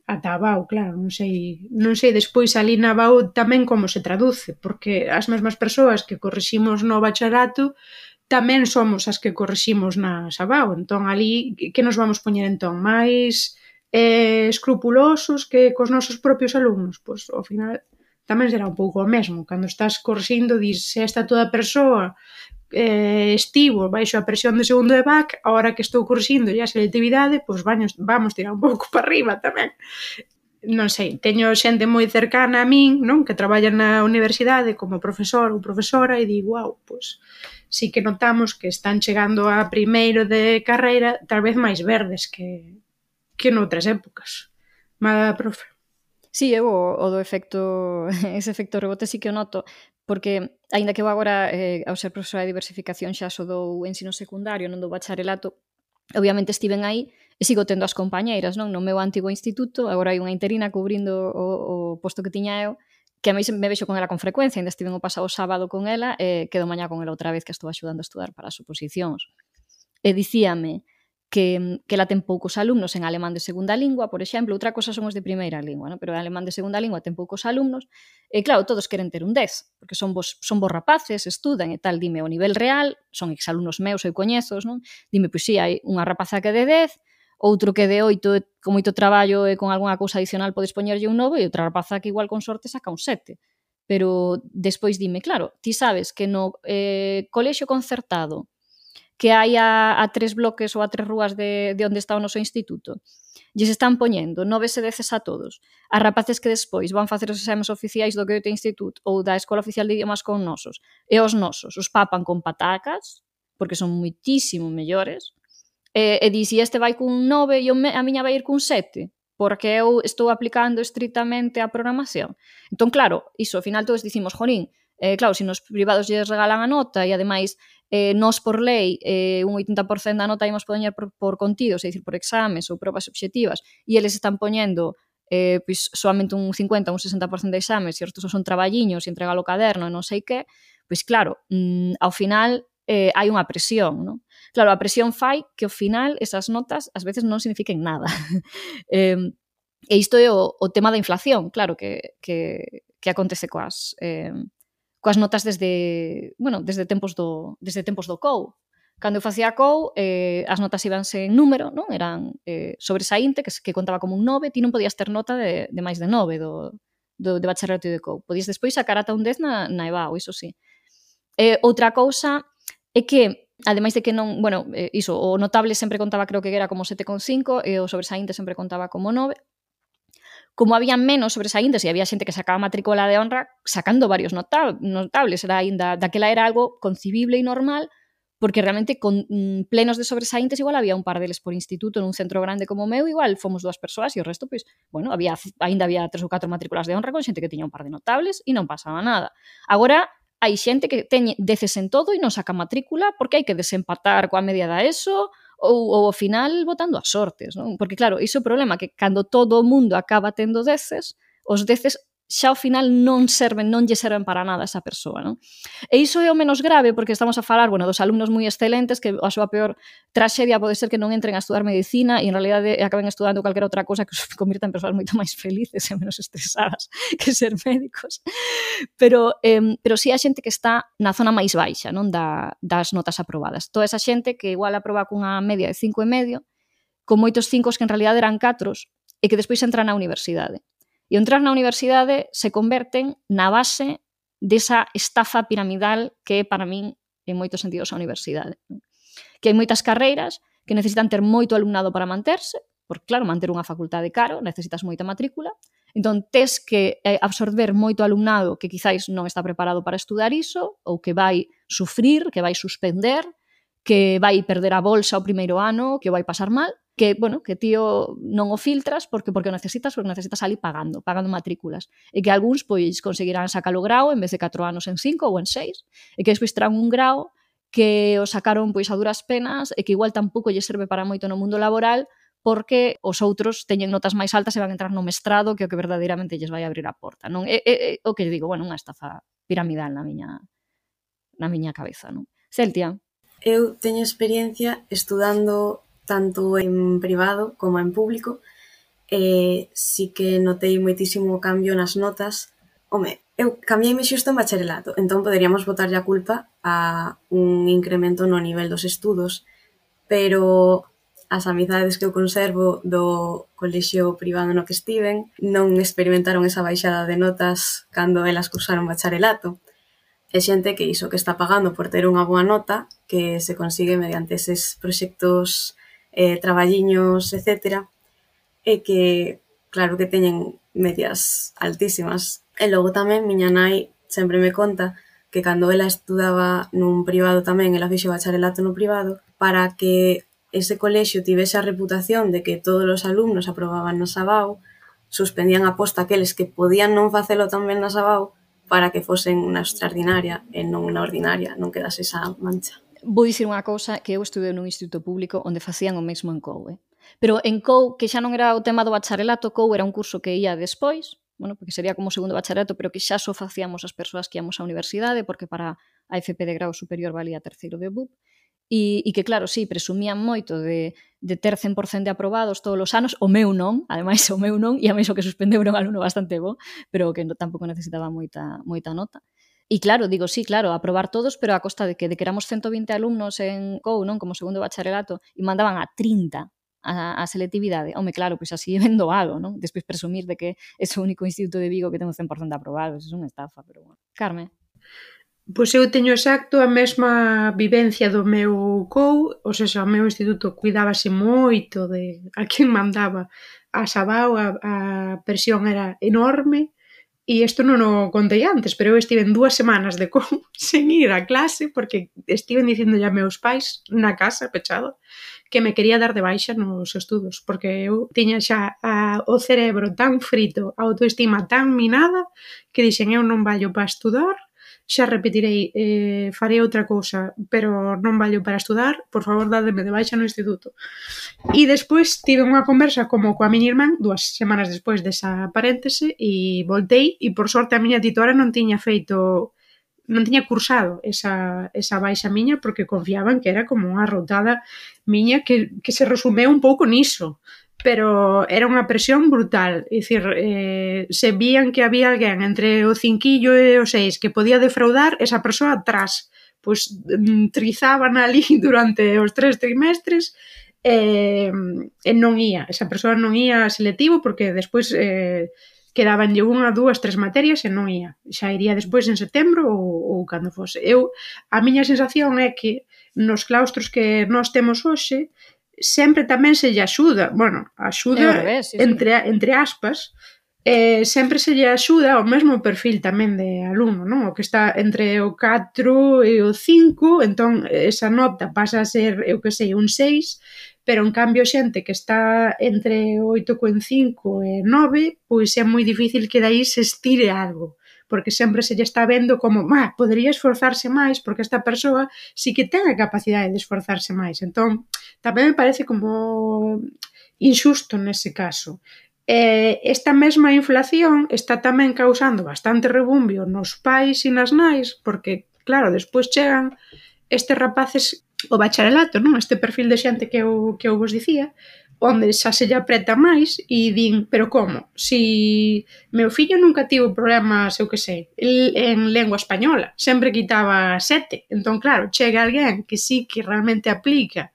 a BAU, claro, non sei despois ali na BAU tamén como se traduce, porque as mesmas persoas que corriximos no bacharato tamén somos as que corriximos na Sabao, entón ali que nos vamos poñer entón? Mais escrupulosos que cos nosos propios alumnos? Pois ao final tamén será un pouco o mesmo, cando estás corrixindo dis se esta toda persoa estivo baixo a presión de segundo de BAC, a hora que estou corrixindo a selectividade, pois vamos tirar un pouco para arriba tamén. Non sei, teño xente moi cercana a min, non, que traballa na universidade como profesor ou profesora e digo, pois sí que notamos que están chegando a primeiro de carreira tal vez máis verdes que noutras épocas. Mala, profe? Sí, eu o do efecto, ese efecto rebote sí que o noto, porque, aínda que eu agora, ao ser profesora de diversificación, xa so do ensino secundario, non do bacharelato, obviamente estiven aí e sigo tendo as compañeiras, non? No meu antigo instituto, agora hai unha interina cubrindo o posto que tiña eu, que a mí me vexo con ela con frecuencia, ainda estiven o pasado sábado con ela e quedo mañá con ela outra vez que estou axudando a estudar para as oposicións. E dicíame que ela ten poucos alumnos en alemán de segunda lingua, por exemplo, outra cosa son os de primeira lingua, non? Pero en alemán de segunda lingua ten poucos alumnos, e claro, todos queren ter un 10, porque son vos rapaces, estudan e tal, dime o nivel real, son exalumnos meus, eu coñezos, non? Dime, pois si, hai unha rapaza que é de 10, outro que é de 8, con moito traballo e con algunha cousa adicional podes poñerlle un 9, e outra rapaza que igual con sorte saca un 7. Pero despois dime, claro, ti sabes que no colexio concertado que hai a 3 bloques ou a 3 rúas de onde está o noso instituto, lles están poñendo 9 e 10 a todos. As rapaces que despois van facer os exames oficiais do Goethe Institut ou da Escola Oficial de Idiomas con nosos, e os nosos os papan con patacas, porque son muitísimo mellores, e di, se este vai cun 9 e a miña vai ir cun 7, porque eu estou aplicando estritamente a programación. Entón, claro, iso, ao final todos dicimos, jorín, claro, se nos privados lles regalan a nota e ademais nós por lei un 80% da nota ímos poñer por contidos, é dicir, por exames ou probas obxectivas, e eles están poñendo pois soamente un 50, un 60% de exames e os outros son traballiños e entrega o caderno e non sei que, pois claro, ao final hai unha presión, non? Claro, a presión fai que ao final esas notas ás veces non signifiquen nada. E isto é o tema da inflación, claro, que acontece coas notas desde tempos do COU. Cando eu facía COU, as notas íbanse en número, non? Eran sobresaínte, que contaba como un 9, ti non podías ter nota de máis de 9 de bacharelato de COU. Podías despois sacar ata un 10 na EBAU, iso sí. Outra cousa é que, ademais de que non, iso, o notable sempre contaba, creo que era como 7,5 e o sobresaínte sempre contaba como 9. Como había menos sobresaíntes e había xente que sacaba matrícula de honra sacando varios notables, daquela era algo concibible e normal, porque realmente con plenos de sobresaíntes igual había un par deles por instituto nun centro grande como o meu, igual fomos 2 persoas e o resto, pois, ainda había 3 ou 4 matrículas de honra con xente que tiña un par de notables e non pasaba nada. Agora, hai xente que teñe 10 en todo e non saca matrícula porque hai que desempatar coa media da ESO ou ao final botando as sortes, non? Porque claro, iso é o problema, que cando todo o mundo acaba tendo 10, os 10 xa ao final non lle serven para nada a esa persoa, non? E iso é o menos grave porque estamos a falar, dos alumnos moi excelentes que a súa peor traxedia pode ser que non entren a estudar medicina e en realidade acaben estudando calquera outra cousa que os convirta en persoas moito máis felices e menos estresadas que ser médicos. Pero si a xente que está na zona máis baixa, non, das notas aprobadas. Toda esa xente que igual aproba cunha media de 5,5, con moitos 5 que en realidade eran 4 e que despois entran na universidade. E entrar na universidade se converten na base desa estafa piramidal que é para min en moitos sentidos a universidade. que hai moitas carreiras que necesitan ter moito alumnado para manterse, porque claro, manter unha facultade caro, necesitas moita matrícula, entón tes que absorber moito alumnado que quizáis non está preparado para estudar iso, ou que vai sufrir, que vai suspender, que vai perder a bolsa o primeiro ano, que o vai pasar mal, que, bueno, que tío non o filtras porque o necesitas ali pagando matrículas. E que algúns, pois, conseguirán sacar o grao en vez de 4 anos en 5 ou en 6, e que despois terán un grao que o sacaron, pois, a duras penas e que igual tampouco lle serve para moito no mundo laboral porque os outros teñen notas máis altas e van entrar no mestrado que é o que verdadeiramente lles vai abrir a porta, non? É o que digo, bueno, unha estafa piramidal na miña cabeza, non? Celtia. Eu teño experiencia estudando tanto en privado como en público e sí que notei moitísimo cambio nas notas. Home, eu cambiei-me xusto en bacharelato, entón poderíamos botarlle a culpa a un incremento no nivel dos estudos, pero as amizades que eu conservo do colexio privado no que estiven non experimentaron esa baixada de notas cando elas cursaron bacharelato. É xente que iso que está pagando por ter unha boa nota que se consigue mediante eses proxectos, traballiños, etc. E que, claro que teñen medias altísimas. E logo tamén miña nai sempre me conta que cando ela estudaba nun privado tamén, ela fixo bacharelato no privado, para que ese colexio tivese a reputación de que todos os alumnos aprobaban na Sabao, suspendían a posta aqueles que podían non facelo tan ben na Sabao para que fosen na extraordinaria e non na ordinaria, non quedase esa mancha. Vou dicir unha cousa, que eu estudei nun instituto público onde facían o mesmo en COU, Pero en COU, que xa non era o tema do bacharelato, COU era un curso que ia despois, bueno, porque sería como segundo bacharelato, pero que xa só facíamos as persoas que íamos á universidade, porque para a FP de grau superior valía terceiro de BUP, e que, claro, sí, presumían moito de ter 100% de aprobados todos os anos, o meu non, ademais o meu non, e a mí o que suspendeu era un alumno bastante bo, pero que tampouco necesitaba moita nota. E claro, digo, sí, claro, aprobar todos, pero a costa de que éramos 120 alumnos en COU, non, como segundo bacharelato, e mandaban a 30 a selectividade. Home, claro, pois así é ben doado, non? Despois presumir de que é o único instituto de Vigo que ten un 100% de aprobados, é unha estafa, pero bueno. Carme? Pois eu teño exacto a mesma vivencia do meu COU, ou seja, o meu instituto cuidábase moito de a quen mandaba a Sabao, a presión era enorme, e isto non o contei antes, pero eu estive en 2 semanas de COU sen ir a clase, porque estiven dicindo a meus pais na casa, pechado, que me quería dar de baixa nos estudos, porque eu tiña xa o cerebro tan frito, a autoestima tan minada, que dixen eu non vallo para estudar, xa repetirei, farei outra cousa, pero non vallo para estudar, por favor, dádeme de baixa no instituto. E despois tive unha conversa como coa miña irmán, 2 semanas despois desa paréntese, e voltei, e por sorte a miña titora non tiña cursado esa baixa miña, porque confiaban que era como unha rotada miña que se resumeu un pouco niso. Pero era unha presión brutal, é dicir, se vían que había alguén entre o 5 e o 6 que podía defraudar, esa persoa atrás, pois trizaban ali durante os 3 trimestres e non ia, esa persoa non ia a selectivo porque despois quedabanlle 1, 2, 3 materias e non ia, xa iría despois en setembro ou cando fose. A miña sensación é que nos claustros que nós temos hoxe sempre tamén se lle axuda, bueno, axuda sí. entre aspas, sempre se lle axuda ao mesmo perfil tamén de alumno, non? O que está entre o 4 e o 5, entón esa nota pasa a ser, eu que sei, un 6, pero en cambio xente que está entre 8,5 e 9, pois é moi difícil que daí se estire algo, porque sempre se lle está vendo como, podería esforzarse máis, porque esta persoa sí que ten a capacidade de esforzarse máis. Entón, tamén me parece como injusto nese caso. Esta mesma inflación está tamén causando bastante rebumbio nos pais e nas nais, porque, claro, despois chegan estes rapaces o bacharelato, non? Este perfil de xente que eu vos dicía, onde xa se lle apreta máis e din, pero como? Si meu fillo nunca tivo problemas, eu que sei, en lengua española, sempre quitaba 7. Entón, claro, chega alguén que sí que realmente aplica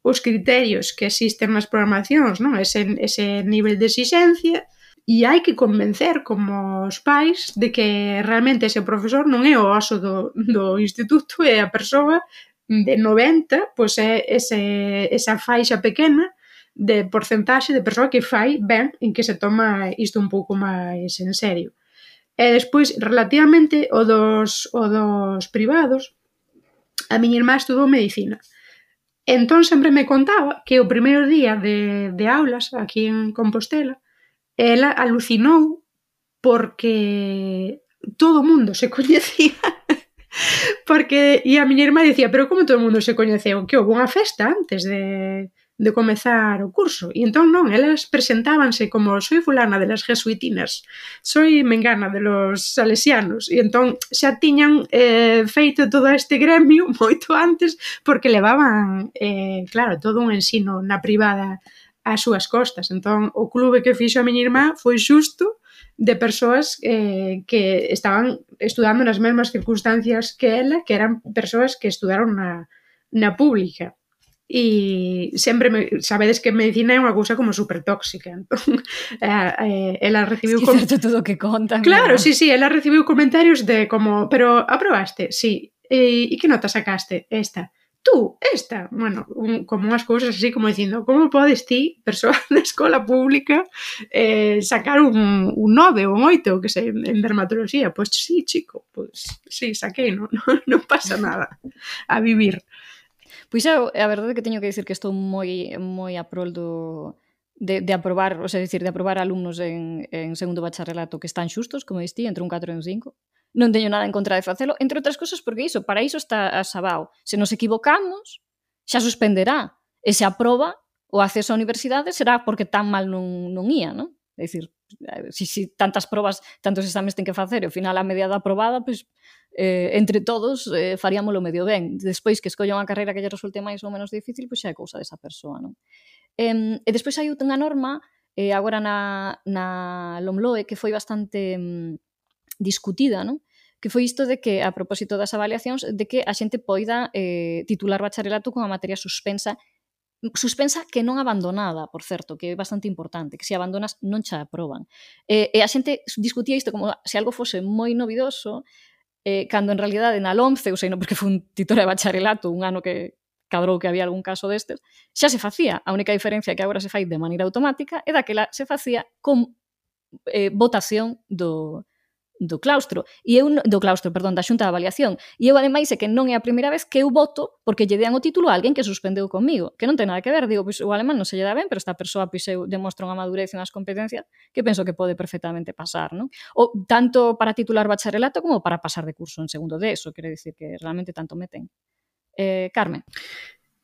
os criterios que existen nas programacións, non? Ese nivel de exixencia, e hai que convencer como os pais de que realmente ese profesor non é o oso do instituto, é a persoa de 90, pois é esa faixa pequena de porcentaxe de persoa que fai ben en que se toma isto un pouco máis en serio. E despois, relativamente o dos privados, a miña irmá estudou medicina. Entón sempre me contaba que o primeiro día de aulas aquí en Compostela ela alucinou porque todo o mundo se coñecía. Porque, e a miña irmá dicía, pero como todo o mundo se coñeceu? Que houve unha festa antes de comezar o curso. E entón non, elas presentábanse como soy fulana de las jesuitinas, soy mengana de los salesianos. E entón xa tiñan feito todo este gremio moito antes porque levaban, claro, todo un ensino na privada ás súas costas. Entón, o clube que fixo a miña irmá foi xusto de persoas que estaban estudando nas mesmas circunstancias que ela, que eran persoas que estudaron na pública. E sempre sabedes que medicina é unha cousa como super tóxica. Entón, ela recibiu... Es que certo todo o que contan. Claro, sí, ela recibiu comentarios de como, pero aprobaste? Sí. E que nota sacaste? Esta. Tú, esta. Bueno, como unhas cousas así como dicindo, como podes ti, persoa da escola pública, sacar un 9 ou un 8, que sei, en dermatología? Pois sí, chico, pois sí, saquei, non pasa nada. A vivir. Pois a verdade é que teño que dicir que estou moi a prol de aprobar, o sea, de aprobar alumnos en segundo bacharelato que están xustos, como distí, entre un 4 e un 5. Non teño nada en contra de facelo, entre outras cousas porque para iso está a Sabao. Se nos equivocamos, xa suspenderá. E se aproba o acceso á universidade será porque tan mal non ia, non? É dicir, se tantas probas, tantos exames ten que facer e ao final a mediada aprobada, pois entre todos faríamolo medio ben. Despois que escolla unha carreira que lle resulte máis ou menos difícil, pois xa é cousa desa persoa, non? E despois hai unha norma agora na LOMLOE que foi bastante discutida, non? Que foi isto de que, a propósito das avaliacións, de que a xente poida titular bacharelato con a materia suspensa que non abandonada, por certo, que é bastante importante, que se abandonas non xa aproban. E a xente discutía isto como se algo fose moi novidoso, cando en realidade na LOMCE, ou sei, non porque foi un titor de bacharelato, un ano que cadrou que había algún caso destes, xa se facía. A única diferencia é que agora se fai de maneira automática e daquela se facía con votación do claustro, da xunta de avaliación. E eu, ademais, é que non é a primeira vez que eu voto porque lle dean o título a alguén que suspendeu comigo, que non ten nada que ver, digo, pois o alemán non se lle dá ben, pero esta persoa pois demostra unha madurez e unhas competencias que penso que pode perfectamente pasar, non? O tanto para titular bacharelato como para pasar de curso en segundo de eso, quero dicir que realmente tanto meten. Carmen.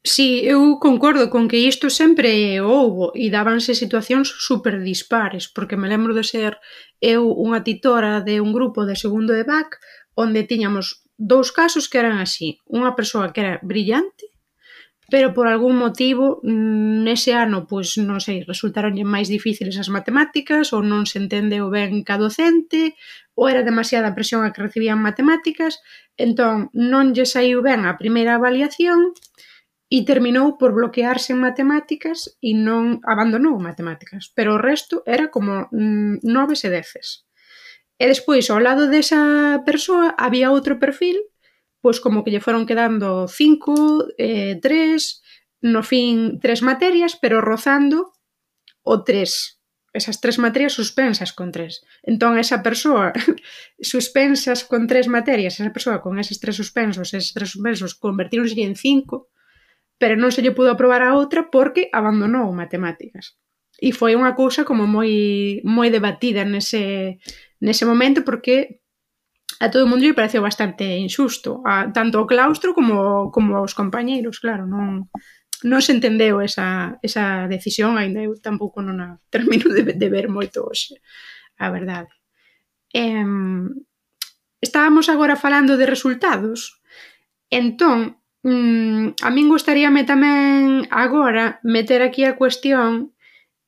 Sí, eu concordo con que isto sempre houbo e dábanse situacións super dispares, porque me lembro de ser eu unha titora de un grupo de segundo de BAC onde tiñamos 2 casos que eran así. Unha persoa que era brillante, pero por algún motivo nese ano, pois non sei, resultaronlle máis difíciles as matemáticas ou non se entendeu ben ca docente ou era demasiada presión a que recibían matemáticas, entón non lle saiu ben a primeira avaliación e terminou por bloquearse en matemáticas e non abandonou matemáticas, pero o resto era como 9 e 10. E despois, ao lado desa persoa, había outro perfil, pois como que lle foron quedando 5, 3, no fin 3 materias, pero rozando o 3. Esas 3 materias suspensas con 3. Entón, esa persoa suspensas con 3 materias, esa persoa con eses 3 suspensos, convertíronse en 5, pero non se lle pudo aprobar a outra porque abandonou matemáticas. E foi unha cousa como moi debatida nese momento porque a todo o mundo lle pareceu bastante injusto, tanto o claustro como os compañeiros, claro, non se entendeu esa decisión, ainda eu tampouco non a termino de ver moito hoxe, a verdade. Estábamos agora falando de resultados, entón, a min gustaríame tamén agora meter aquí a cuestión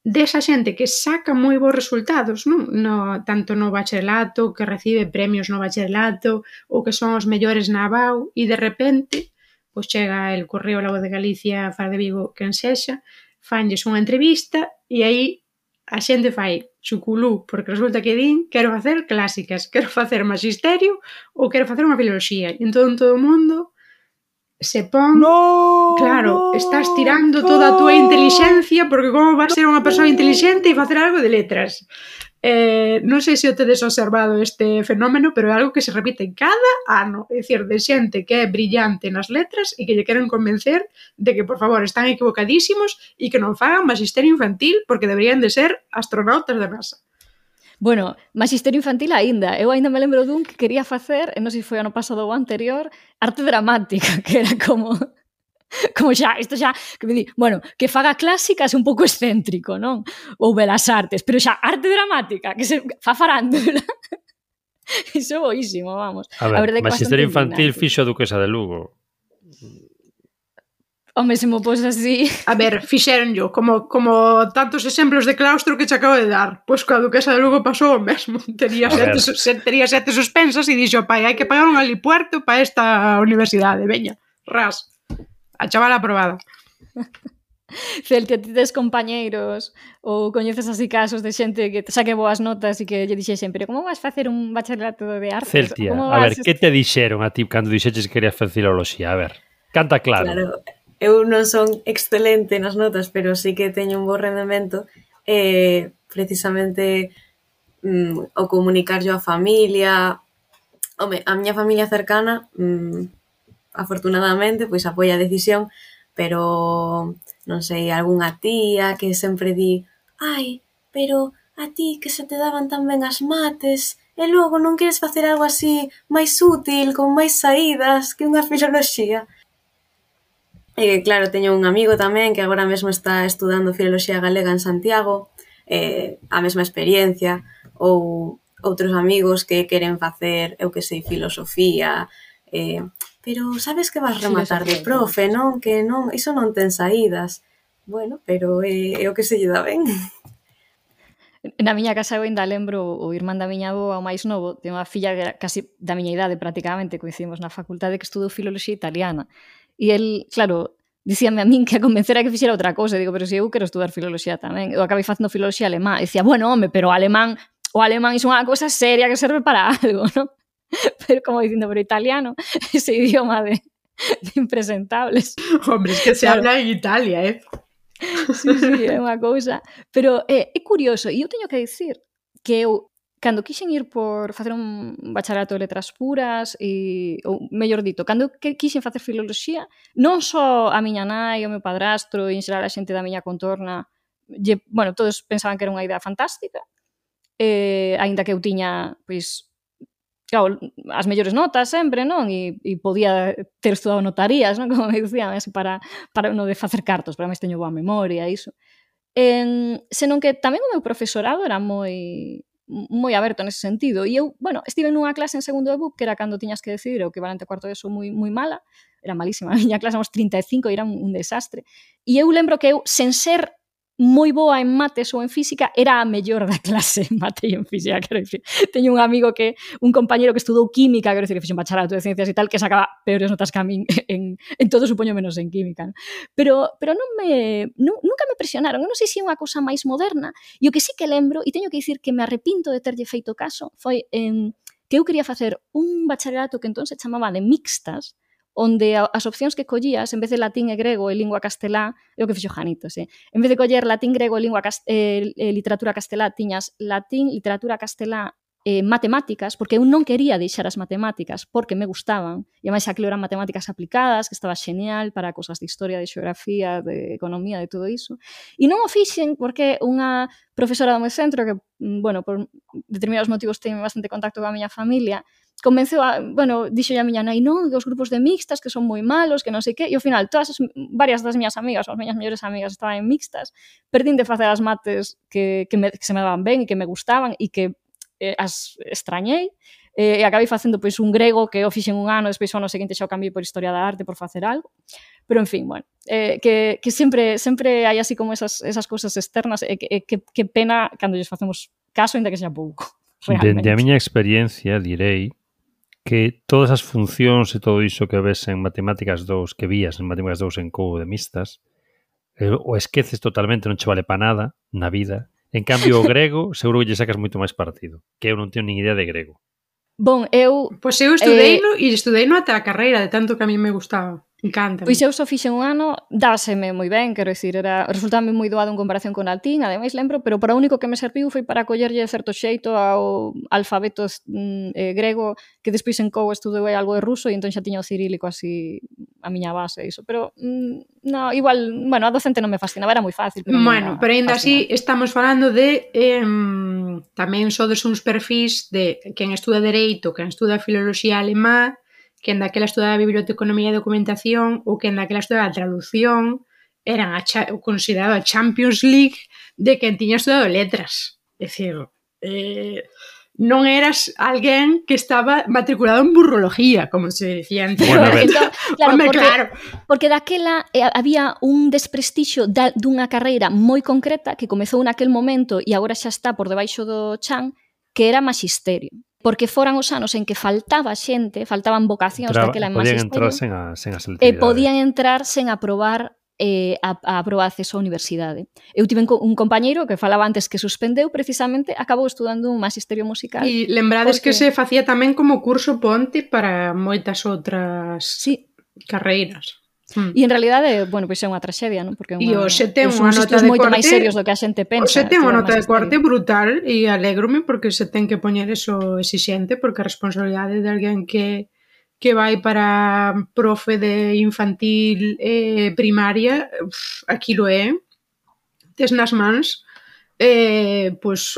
desa xente que saca moi bons resultados, non? Tanto no bacharelato, que recibe premios no bacharelato, ou que son os mellores na ABAU, e de repente, pois chega el Correo La Voz de Galicia, Faro de Vigo, quen sexa, fanlles unha entrevista, e aí a xente fai chuculú, porque resulta que din quero facer clásicas, quero facer magisterio, ou quero facer unha filoloxía. E entón todo o mundo se pon... No, Claro, estás tirando toda a túa intelixencia, porque como vas ser unha persoa intelixente e facer algo de letras? Non sei se o tedes observado este fenómeno, pero é algo que se repite cada ano. É dicir, de xente que é brillante nas letras e que lle queren convencer de que, por favor, están equivocadísimos e que non fagan magisterio infantil porque deberían de ser astronautas da NASA. Bueno, magisterio infantil aínda. Eu aínda me lembro dun que quería facer, non sei se foi ano pasado ou anterior, arte dramática, que era como xa, isto xa, que me di, bueno, que faga clásicas é un pouco excéntrico, non? Ou belas artes, pero xa, arte dramática, que se fa farándula. Iso é boísimo, vamos. A ver, magisterio infantil fixo a Duquesa de Lugo. Home, se mo pos así... A ver, fixéronllo, como tantos exemplos de claustro que che acabo de dar. Pois coa Duquesa de Lugo pasou o mesmo. Tería sete suspensas e dixo, pai, hai que pagar un alipuerto para esta universidade. Veña, ras. A chavala aprobada. Celtia, ti tes compañeiros ou coñeces así casos de xente que saque boas notas e que lle dixesen, pero como vas facer un bacharelato de artes? Celtia, a ver, que te dixeron a ti cando dixeches que querías facer filoloxía? A ver, canta claro. Claro, eu non son excelente nas notas, pero sí que teño un bo rendemento. Precisamente o comunicar yo a familia. Home, a miña familia cercana, afortunadamente, pois apoia a decisión, pero non sei, algunha tía que sempre di ai, pero a ti que se te daban tan ben as mates e logo non queres facer algo así máis útil, con máis saídas que unha filoloxía. E claro, teño un amigo tamén que agora mesmo está estudando filoloxía galega en Santiago, a mesma experiencia, ou outros amigos que queren facer, eu que sei, filosofía, pero sabes que vas rematar de profe, non? Que non, iso non ten saídas. Bueno, pero é o que se lle dá ben. Na miña casa eu ainda lembro o irmán da miña avó, o máis novo, ten unha filla que era casi da miña idade prácticamente, coincidimos na facultade, que estudou filoloxía italiana. E el, claro, dicíame a min que a convencera que fixera outra cousa. Digo, pero se eu quero estudar filoloxía tamén. Eu acabei facendo filoloxía alemá. E dicía, bueno, home, pero o alemán é unha cousa seria que serve para algo, non? Pero como dicindo, pero italiano, ese idioma de impresentables. Hombre, es que se habla en Italia, Sí, é unha cousa. Pero é curioso, e eu teño que dicir que eu, cando quixen ir por facer un bacharelato de letras puras, ou mellor dito, cando quixen facer filoloxía, non só a miña nai, o meu padrastro e en xeral a xente da miña contorna, bueno, todos pensaban que era unha idea fantástica, aínda que eu tiña, pois, claro, as mellores notas sempre, non? E podía ter estudado notarías, non? Como me dicían, así para non de facer cartos, pero máis teño boa memoria e iso. Senón que tamén o meu profesorado era moi aberto nese sentido. E eu, bueno, estive nunha clase en segundo de BUP, que era cando tiñas que decidir o equivalente a cuarto de eso moi mala, era malísima a miña clase, éramos 35 e era un desastre. E eu lembro que eu, sen ser moi boa en mates ou en física, era a mellor da clase en mate e en física, quero dicir. Teño un amigo un compañero que estudou química, quero dicir, que fixe un bacharelato de ciencias e tal, que sacaba peores notas que a min en todo, supoño, menos en química, ¿no? Pero nunca me presionaron. Eu non sei se é unha cousa máis moderna, e o que sí que lembro, e teño que dicir que me arrepinto de terlle feito caso, foi que eu quería facer un bacharelato que entón se chamaba de mixtas, onde as opcións que collías, en vez de latín e grego e lingua castelá, é o que fixo Janitos, en vez de coller latín, grego e literatura castelá, tiñas latín, literatura castelá, matemáticas, porque eu non quería deixar as matemáticas porque me gustaban, e máis aquilo eran matemáticas aplicadas, que estaba xeñal para cosas de historia, de xeografía, de economía, de todo iso. E non o fixen porque unha profesora do meu centro, que, bueno, por determinados motivos ten bastante contacto coa miña familia, convenceu dixo a miña nai, non, os grupos de mixtas que son moi malos, que non sei que, e ao final varias das miñas amigas, as miñas mellores amigas estaban en mixtas, perdín de facer as mates que se me daban ben e que me gustaban e que as extrañei, e acabei facendo pois un grego que o fixen un ano, despois o ano seguinte xa o cambiei por historia da arte por facer algo, pero en fin, bueno, que sempre hai así como esas cousas externas, e que pena cando lles facemos caso, ainda que sea pouco, realmente. Dende a miña experiencia direi que todas as funcións e todo iso que ves en Matemáticas 2, que vías en Matemáticas 2 en Couo de Mixtas, o esqueces totalmente, non che vale para nada na vida. En cambio, o grego, seguro que lle sacas moito máis partido, que eu non teño nin idea de grego. Bon, eu... Pois eu estudeino e estudeino ata a carreira, de tanto que a mí me gustaba. Encanta. Pois eu só fixen un ano, dáseme moi ben, quero dicir, resultame moi doado en comparación con latín, ademais lembro, pero para o único que me serviu foi para collerlle certo xeito ao alfabeto grego, que despois en COU estudei algo de ruso e entón xa tiña o cirílico así a miña base, iso, pero no, igual, bueno, a docente non me fascinaba, era moi fácil. Pero ainda así estamos falando de tamén sodes uns perfis de quen estuda Dereito, quen estuda Filoloxía Alemá, quen daquela estudaba Biblioteconomía e Documentación ou quen daquela estudaba Traducción, eran considerado a Champions League de quen tiña estudado Letras. É dicir, non eras alguén que estaba matriculado en burrología, como se decía antes. Bueno, a ver. Entón, claro, porque daquela había un desprestixio dunha carreira moi concreta que comezou naquel momento e agora xa está por debaixo do chan, que era Maxisterio. Porque foran os anos en que faltaba xente, faltaban vocacións daquela en Maxisterio. Podían entrar sen a selectividade. E podían entrar sen aprobar a proba de acceso á universidade. Eu tive un compañeiro que falaba antes que suspendeu, precisamente, acabou estudando un Magisterio musical. E lembrades que se facía tamén como curso ponte para moitas outras carreiras. E en realidade, bueno, pois é unha traxedia, non? Porque e hoxe ten unha nota de moito corte máis serios do que a xente pensa. Hoxe ten unha nota de corte brutal e alégrome porque se ten que poñer eso exixente, porque a responsabilidade de alguén que vai para profe de infantil primaria, aquilo é, tes nas mans, pois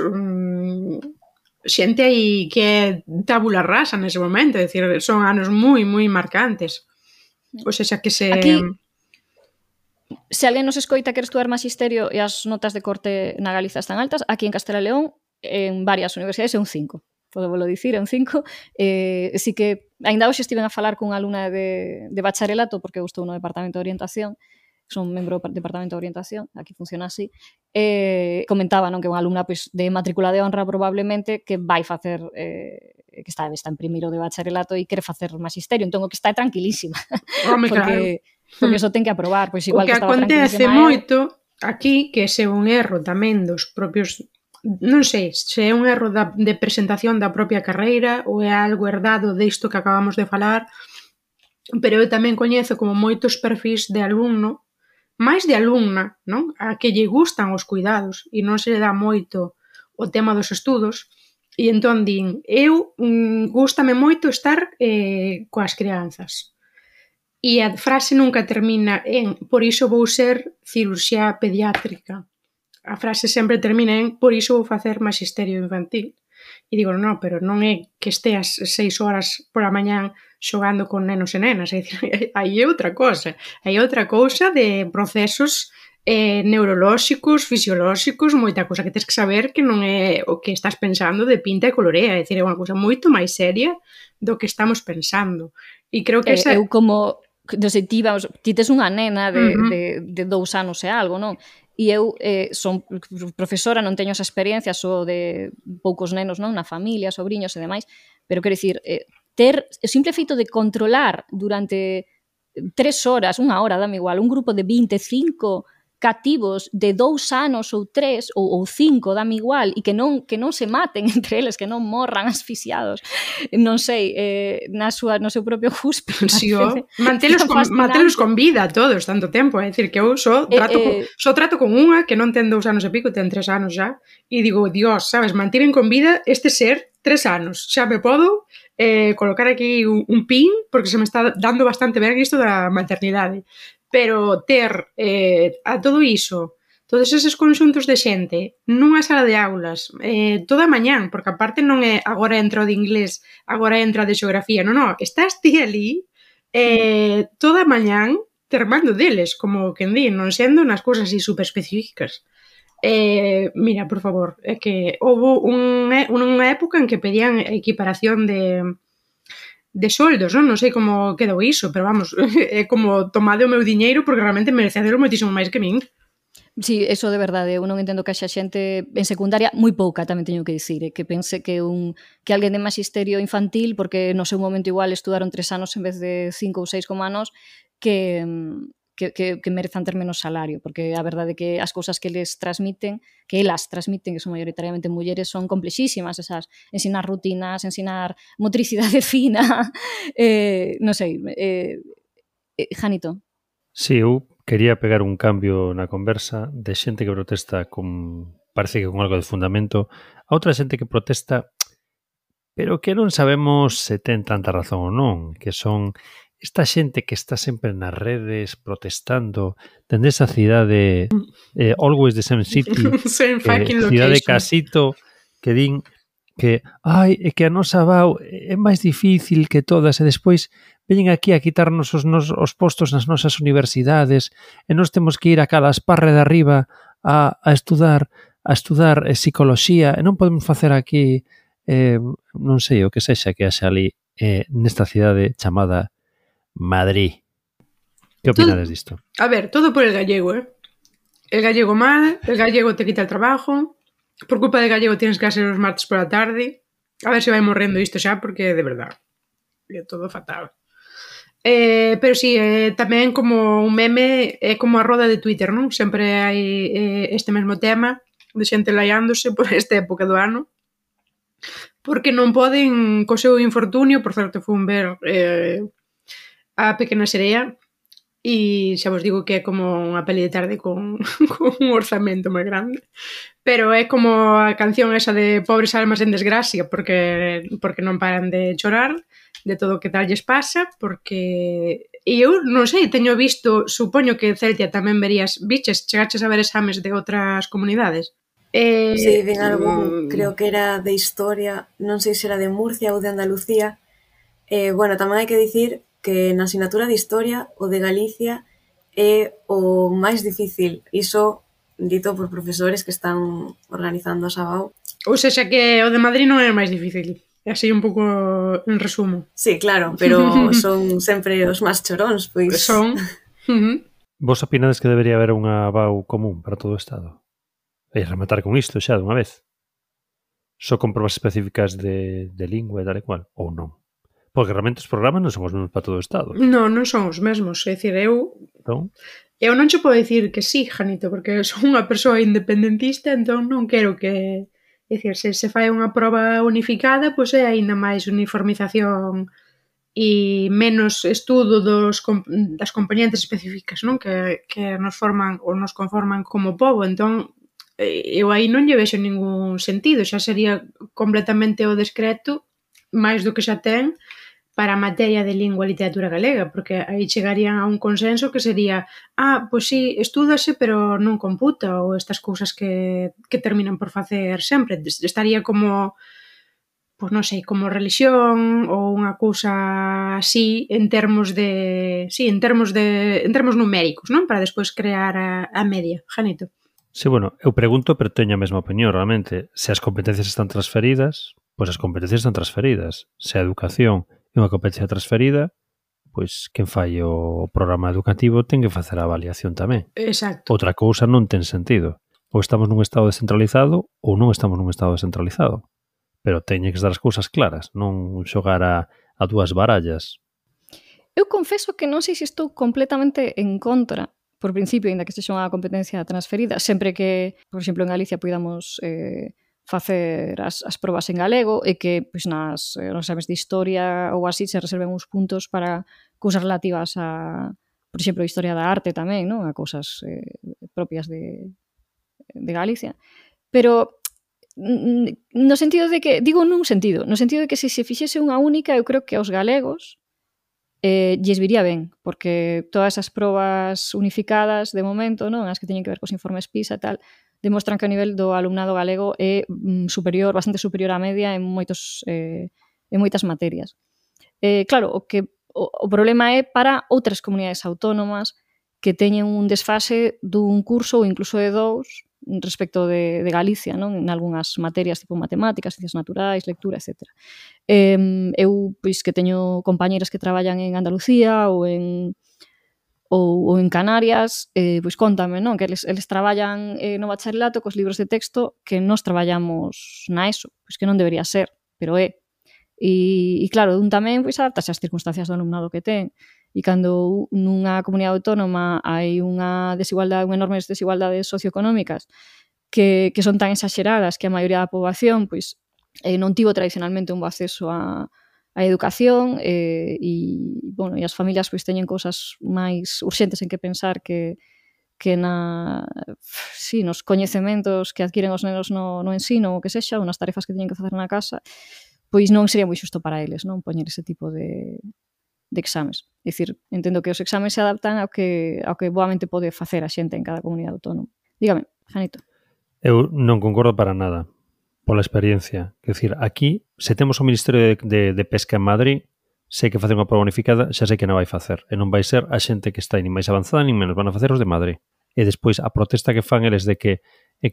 xente aí que é tabula rasa nese momento, é dicir, son anos moi, moi marcantes. O sea, que se... Aquí, se alguén nos escoita quer estudar Magisterio e as notas de corte na Galiza están altas, aquí en Castela e León, en varias universidades, é un 5. Podevolo dicir, é un 5. Si que, ainda hoxe estiven a falar cunha alumna de bacharelato, porque eu estou no Departamento de Orientación, son membro do Departamento de Orientación, aquí funciona así, comentaba, non, que unha alumna pois, de matrícula de honra probablemente que vai facer... que está en primeiro de bacharelato e quere facer Magisterio, entón o que está é tranquilísima. Home, claro. Porque iso ten que aprobar, pois igual que estaba acontece tranquilísima. Moito aquí, que se un erro tamén dos propios, non sei, se é un erro de presentación da propia carreira ou é algo herdado disto que acabamos de falar, pero eu tamén coñezo como moitos perfis de alumno, máis de alumna, non? A que lle gustan os cuidados e non se lle dá moito o tema dos estudos. E entón din, eu gústame moito estar coas crianzas. E a frase nunca termina en por iso vou ser cirurxía pediátrica. A frase sempre termina en por iso vou facer Magisterio infantil. E digo, non, pero non é que esteas 6 horas pola mañán xogando con nenos e nenas. É dicir, aí é outra cosa. Aí é outra cousa de procesos neurolóxicos, fisiolóxicos, moita cousa que tens que saber que non é o que estás pensando de pinta e colorea, é dicir, é unha cousa moito máis seria do que estamos pensando. E creo que esa... Eu como, non sei, ti tes unha nena de 2 anos e algo, non? E eu son profesora, non teño esa experiencia só de poucos nenos, non, na familia, sobriños e demais, pero quero dicir, ter o simple feito de controlar durante 3 horas, 1 hora, dame igual, un grupo de 25 cativos de 2 anos ou 3 ou 5, dame igual, e que non se maten entre eles, que non morran asfixiados, non sei, no seu propio cuspe. Sí, mantelos con vida todos tanto tempo, é dicir, que eu só trato con unha que non ten 2 anos e pico, ten 3 anos xa, e digo, Dios, sabes, mantiven con vida este ser 3 anos, xa me podo colocar aquí un pin, porque se me está dando bastante ben isto da maternidade. Pero ter a todo iso, todos eses conxuntos de xente nunha sala de aulas toda a mañán, porque aparte non é agora entra o de inglés, agora entra o de xeografía, non, estás ti ali toda a mañán termando deles, como quen di, non sendo nas cousas así super específicas. Mira, por favor, é que houve unha época en que pedían equiparación de soldos, non sei como quedou iso, pero vamos, é como tomade o meu diñeiro porque realmente merecedelo moitísimo máis que min. Sí, eso de verdade, eu non entendo que haxa xente en secundaria, moi pouca tamén teño que dicir, que pense que alguén de Magisterio infantil, porque no seu momento igual estudaron 3 anos en vez de 5 ou 6 como anos, que merezan ter menos salario, porque a verdade é que as cousas que elas transmiten, que son maioritariamente mulleres, son complexísimas, esas, ensinar rutinas, ensinar motricidade fina, non sei, Janito. Si, eu quería pegar un cambio na conversa de xente que protesta con, parece que con algo de fundamento, a outra xente que protesta pero que non sabemos se ten tanta razón ou non, que son esta xente que está sempre nas redes protestando dende esa cidade always the same city, Same fucking cidade location. casito, que din que, ai, é que a nosa VAU é máis difícil que todas e despois veñen aquí a quitarnos os postos nas nosas universidades e nós temos que ir a Calasparre de arriba a estudar psicoloxía e non podemos facer aquí non sei o que sexa que haxa ali nesta cidade chamada Madrid. Que opinades disto? A ver, todo por el gallego, El gallego mal, el gallego te quita el trabajo, por culpa del gallego tienes clase los martes por la tarde. A ver se vai morrendo isto xa, porque de verdad é todo fatal. Pero si, tamén como un meme, é como a roda de Twitter, non? Sempre hai este mesmo tema de xente laiándose por esta época do ano, porque non poden co seu infortunio, por certo fun ver a Pequena Serea, e xa vos digo que é como unha peli de tarde con un orzamento moi grande, pero é como a canción esa de pobres almas en desgracia, porque non paran de chorar de todo o que tal lles pasa, porque eu non sei, teño visto, supoño que Celtia tamén verías, chegaches a ver exames de outras comunidades. Sí, ven algún, creo que era de historia, non sei se era de Murcia ou de Andalucía. Bueno, tamén hai que dicir que na asignatura de historia o de Galicia é o máis difícil. Iso dito por profesores que están organizando a Sabao. Ou sexa que o de Madrid non é o máis difícil. É así un pouco en resumo. Sí, claro, pero son sempre os máis choróns, pois. Son. Vos opinades que debería haber unha VAU común para todo o Estado? E rematar con isto xa dunha vez. Só con probas específicas de lingua e tal e cual, ou non? Porque realmente os programas non son os mesmos para todo o Estado. Non son os mesmos. É dicir, eu non che podo dicir que sí, Janito, porque son unha persoa independentista, entón non quero que... É dicir, se fai unha proba unificada, pois é aínda máis uniformización e menos estudo das componentes específicas, non? Que nos forman ou nos conforman como pobo. Entón, eu aí non lle vexo ningún sentido. Xa sería completamente o descreto, máis do que xa ten, para a materia de lingua e literatura galega, porque aí chegarían a un consenso que sería pois sí, estúdase, pero non computa, ou estas cousas que terminan por facer sempre. Estaría como, pois non sei, como religión, ou unha cousa así, en termos numéricos, non? Para despois crear a media. Janito. Sí, bueno, eu pregunto, pero teño a mesma opinión, realmente. Se as competencias están transferidas, pois as competencias están transferidas. Se a educación é unha competencia transferida, pois quen fai o programa educativo ten que facer a avaliación tamén. Exacto. Outra cousa non ten sentido. Ou estamos nun estado descentralizado ou non estamos nun estado descentralizado. Pero teñen que estar as cousas claras, non xogar a dúas barallas. Eu confeso que non sei se estou completamente en contra, por principio, ainda que sexa unha competencia transferida, sempre que, por exemplo, en Galicia podamos facer as probas en galego e que pois, nos exames de historia ou así se reserven uns puntos para cousas relativas a, por exemplo, a historia da arte tamén, non? A cousas propias de Galicia. Pero no sentido de que, digo nun sentido, no sentido de que se fixese unha única, eu creo que aos galegos lles viría ben, porque todas as probas unificadas de momento, non, as que teñen que ver cos informes PISA e tal, demostran que o nivel do alumnado galego é superior, bastante superior á media en moitas materias. Claro, o problema é para outras comunidades autónomas que teñen un desfase dun curso ou incluso de dous respecto de Galicia, non? En algunhas materias tipo matemáticas, ciencias naturais, lectura, etc. Eu, pois, que teño compañeras que traballan en Andalucía ou en Canarias, pois contame, non? Que eles traballan no bacharelato cos libros de texto que nós traballamos na ESO, pois que non debería ser, pero é. E claro, un tamén pois adaptase ás circunstancias do alumnado que ten. E cando nunha comunidade autónoma hai unha enormes desigualdades socioeconómicas que son tan exaxeradas que a maioría da poboación pois non tivo tradicionalmente un bo acceso a educación e as familias pois teñen cousas máis urxentes en que pensar que nos coñecementos que adquiren os nenos no ensino ou que sexa, ou nas tarefas que teñen que facer na casa, pois non sería moi xusto para eles, non, poñer ese tipo de exames. É dicir, entendo que os exames se adaptan ao que boamente pode facer a xente en cada comunidade autónoma. Dígame, Janito. Eu non concordo para nada pola experiencia. Quer dicir, aquí, se temos o Ministerio de Pesca en Madrid, sei que facer unha prova unificada xa sei que non vai facer. E non vai ser a xente que está nin máis avanzada nin menos. Van a facer os de Madrid. E despois a protesta que fan eles de que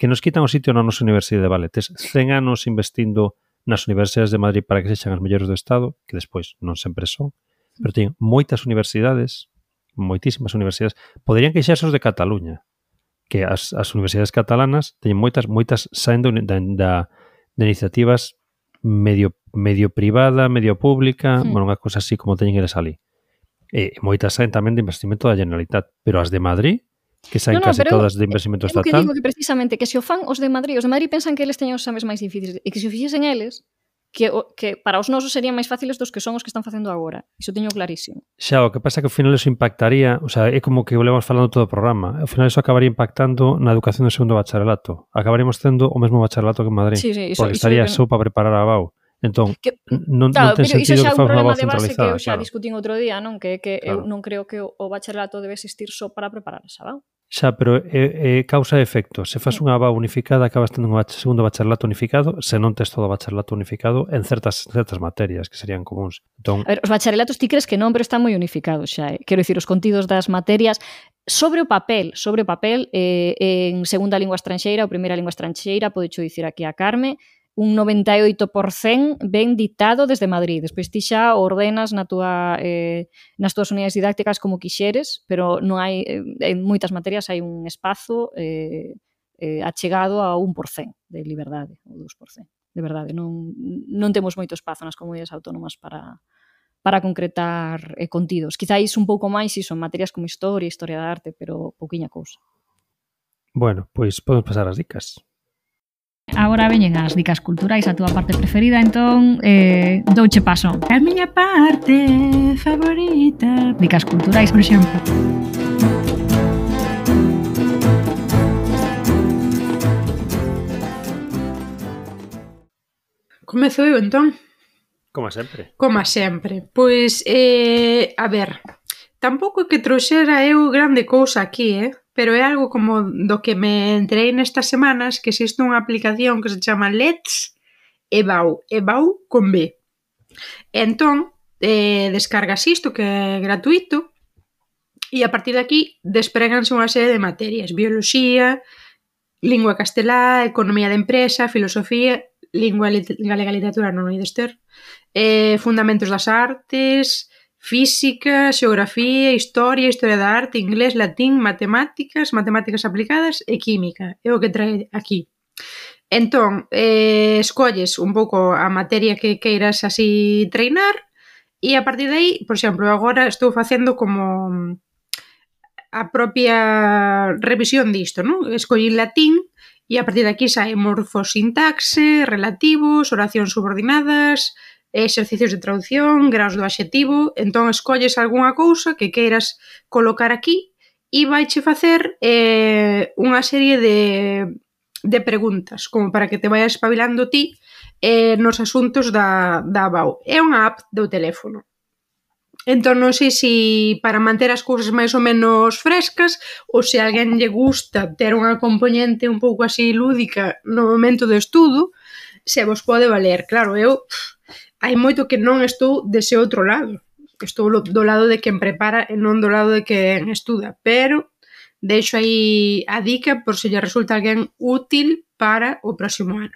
nos quitan o sitio na nosa universidade. Vale, tes 100 anos investindo nas universidades de Madrid para que sexan as mellores do Estado, que despois non sempre son, pero teñen moitas universidades, moitísimas universidades. Poderían queixarse os de Cataluña, que as universidades catalanas teñen moitas saendo de iniciativas medio privada, medio pública, bueno, unha cosa así como teñen eles ali. E moitas saen tamén de investimento da Generalitat, pero as de Madrid, que saen case todas de investimento estatal. Eu que digo que precisamente que se o fan os de Madrid pensan que eles teñen os exames máis difíciles e que se o fixesen eles, que para os nosos serían máis fáciles dos que son os que están facendo agora. Iso teño clarísimo. Xa, o que pasa é que ao final eso impactaría, o sea, é como que o levamos falando todo o programa, ao final eso acabaría impactando na educación do segundo bacharelato. Acabaríamos tendo o mesmo bacharelato que en Madrid, porque estaría só para preparar a BAU. Entón, non ten sentido que faz unha BAU centralizada. Que eu xa discutín outro día, non? Que eu non creo que o bacharelato debe existir só para preparar esa BAU. Xa, pero é causa e efecto. Se faz unha BAU unificada, acabas tendo un segundo bacharelato unificado, se non tes todo o bacharelato unificado en certas materias que serían comuns. Entón, a ver, os bacharelatos ti crees que non, pero están moi unificados xa. Quero dicir, os contidos das materias sobre o papel, en segunda lingua estranxeira ou primeira lingua estranxeira, podecho dicir aquí a Carme, un 98% ben dictado desde Madrid. Despois ti xa ordenas nas túas unidades didácticas como quixeres, pero non hai, en moitas materias hai un espazo achegado a 1% de liberdade, ou 2%. De verdade, non temos moito espazo nas comunidades autónomas para concretar contidos. Quizáis un pouco máis iso en materias como historia da arte, pero pouquiña cousa. Bueno, pois podemos pasar as dicas. Agora veñen as dicas culturais, a túa parte preferida, entón douche paso. A miña parte favorita. Dicas culturais, por exemplo. Comezo eu, entón? Como sempre. Pois, a ver, tampouco que trouxera eu grande cousa aquí, pero é algo como do que me enterei nestas semanas, que existe unha aplicación que se chama Let's EBAU con B. Entón, descargas isto, que é gratuito, e a partir de aquí despréganse unha serie de materias: bioloxía, lingua castelá, economía de empresa, filosofía, lingua galega literatura non hai de ter, fundamentos das artes, física, xeografía, historia da arte, inglés, latín, matemáticas aplicadas e química. É o que trae aquí. Entón, escolles un pouco a materia que queiras así treinar e a partir de aí, por exemplo, agora estou facendo como a propia revisión disto, non? Escollí latín e a partir de aquí sai morfosintaxe, relativos, oracións subordinadas, exercicios de traducción, graus do adxetivo. Entón escolles algunha cousa que queiras colocar aquí e vaiche facer unha serie de preguntas, como para que te vayas espabilando ti nos asuntos da BAU. É unha app do teléfono. Entón non sei se para manter as cousas máis ou menos frescas ou se a alguén lle gusta ter unha componente un pouco así lúdica no momento do estudo, se vos pode valer. Claro, eu hai moito que non estou dese outro lado. Estou do lado de quen prepara e non do lado de quen estuda. Pero deixo aí a dica por se lle resulta alguén útil para o próximo ano.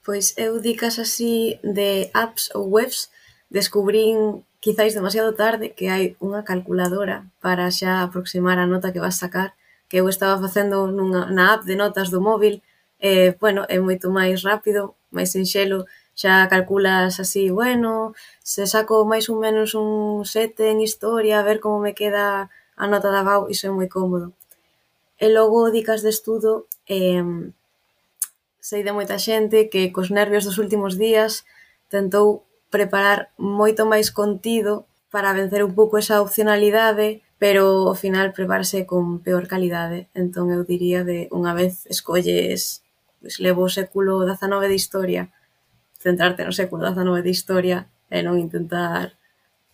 Pois eu dicas así de apps ou webs descubrín quizáis demasiado tarde que hai unha calculadora para xa aproximar a nota que vas sacar, que eu estaba facendo na app de notas do móvil. Bueno, é moito máis rápido, máis sinxelo. Xa calculas así, bueno, se saco máis ou menos un 7 en historia, a ver como me queda a nota da BAU, iso é moi cómodo. E logo, dicas de estudo, sei de moita xente que cos nervios dos últimos días tentou preparar moito máis contido para vencer un pouco esa opcionalidade, pero ao final prepararse con peor calidade. Entón eu diría de unha vez escolles, pois levo o século XIX de historia, centrarte no século XIX de historia e non intentar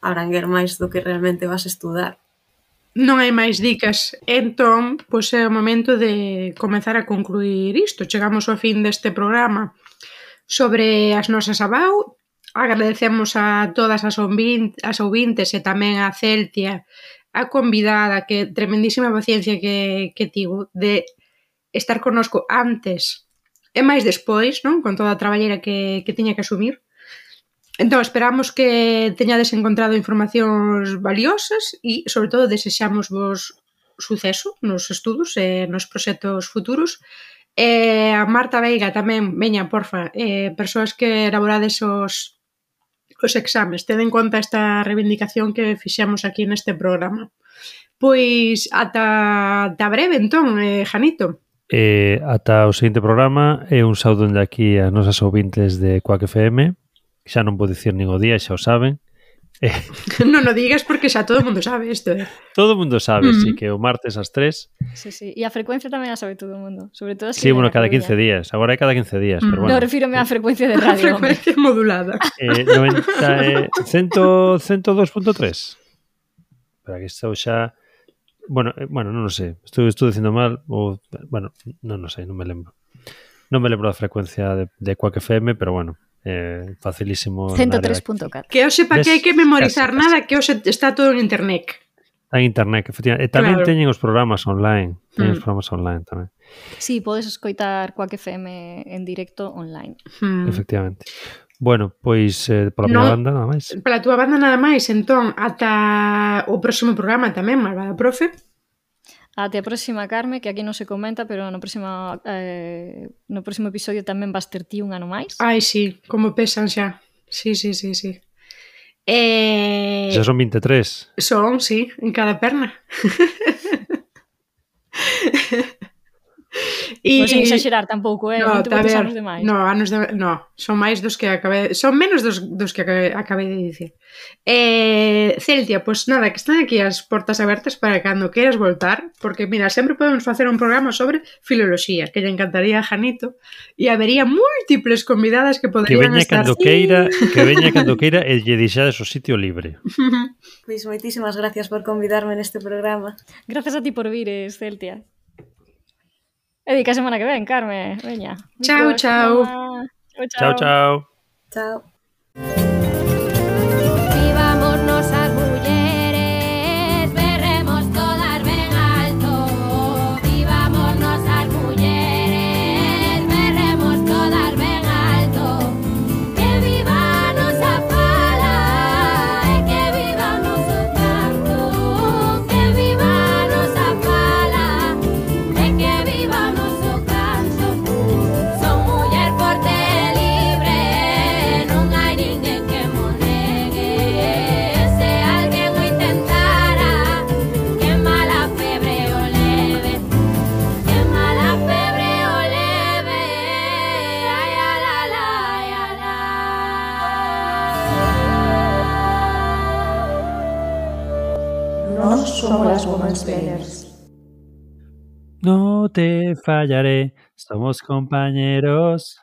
abranguer máis do que realmente vas a estudar. Non hai máis dicas. Entón, pois é o momento de comezar a concluir isto. Chegamos ao fin deste programa sobre as nosas abau. Agradecemos a todas as ouvintes e tamén a Celtia, a convidada, que tremendísima paciencia que tivo de estar connosco antes e máis despois, non? Con toda a traballeira que tiña que asumir. Entón, esperamos que teñades encontrado informacións valiosas e, sobre todo, desexamos vos suceso nos estudos e nos proxectos futuros. E a Marta Veiga tamén, veña, porfa, persoas que elaborades os exames, ten en conta esta reivindicación que fixemos aquí neste programa. Pois, ata breve, entón, Janito. Ata o seguinte programa, e un saúdo de aquí a nosas ouvintes de Quack FM. Xa non vou dicir nin o día, xa o saben. Non o digas porque xa todo o mundo sabe isto. Todo o mundo sabe, sí, que o martes ás 3. Sí, sí, e a frecuencia tamén a sabe todo o mundo. Sobre todo sí, bueno, cada 15 días. Agora é cada 15 días, pero bueno. Non, refírome á frecuencia de radio. A frecuencia modulada. 102.3. Para que estou xa... Bueno, non o sei. Estou dicindo mal ou... Bueno, non o sei, non me lembro. Non me lembro da frecuencia de Quack FM, pero bueno. Facilísimo 103.4. Que hoxe para que hai que memorizar nada, que hoxe está todo en internet. Está en internet, efectivamente. E tamén teñen os programas online. Teñen os programas online tamén. Sí, podes escoitar Quack FM en directo online. Efectivamente. Bueno, pois pola miña banda nada máis. Pola túa banda nada máis. Entón, ata o próximo programa tamén, malvada profe. Até a próxima, Carme, que aquí non se comenta, pero no próximo episodio tamén vas ter ti un ano máis. Ai, sí, como pesan xa. Sí. Xa son 23. Son, sí, en cada perna. Non sen exagerar tampouco, non te botes anos de máis. Son máis dos que acabei... Son menos dos que acabei de dicir. Celtia, pois nada, que están aquí as portas abertas para cando queiras voltar, porque, mira, sempre podemos facer un programa sobre filoloxía, que lle encantaría a Janito, e habería múltiples convidadas que poderían estar... Que veña cando queira e lle deixades o sitio libre. Pois moitísimas gracias por convidarme neste programa. Gracias a ti por vir, Celtia. E di que a semana que ven, Carme. Veña. Chao. Chao. Vivámonos as mulleres, berremos todas ben alto. Vivámonos as mulleres, berremos todas ben alto. Que viva a nosa fala e que viva o noso canto. Que viva a nosa fala e que viva o noso canto. Son muller forte e libre, non hai ninguén que mo negue. Se alguén o intentara, que mala febre o leve. Que mala febre o leve. Ai, alala, ai, alá. Nós somos las Woman Spellers. No te fallaré, somos compañeros.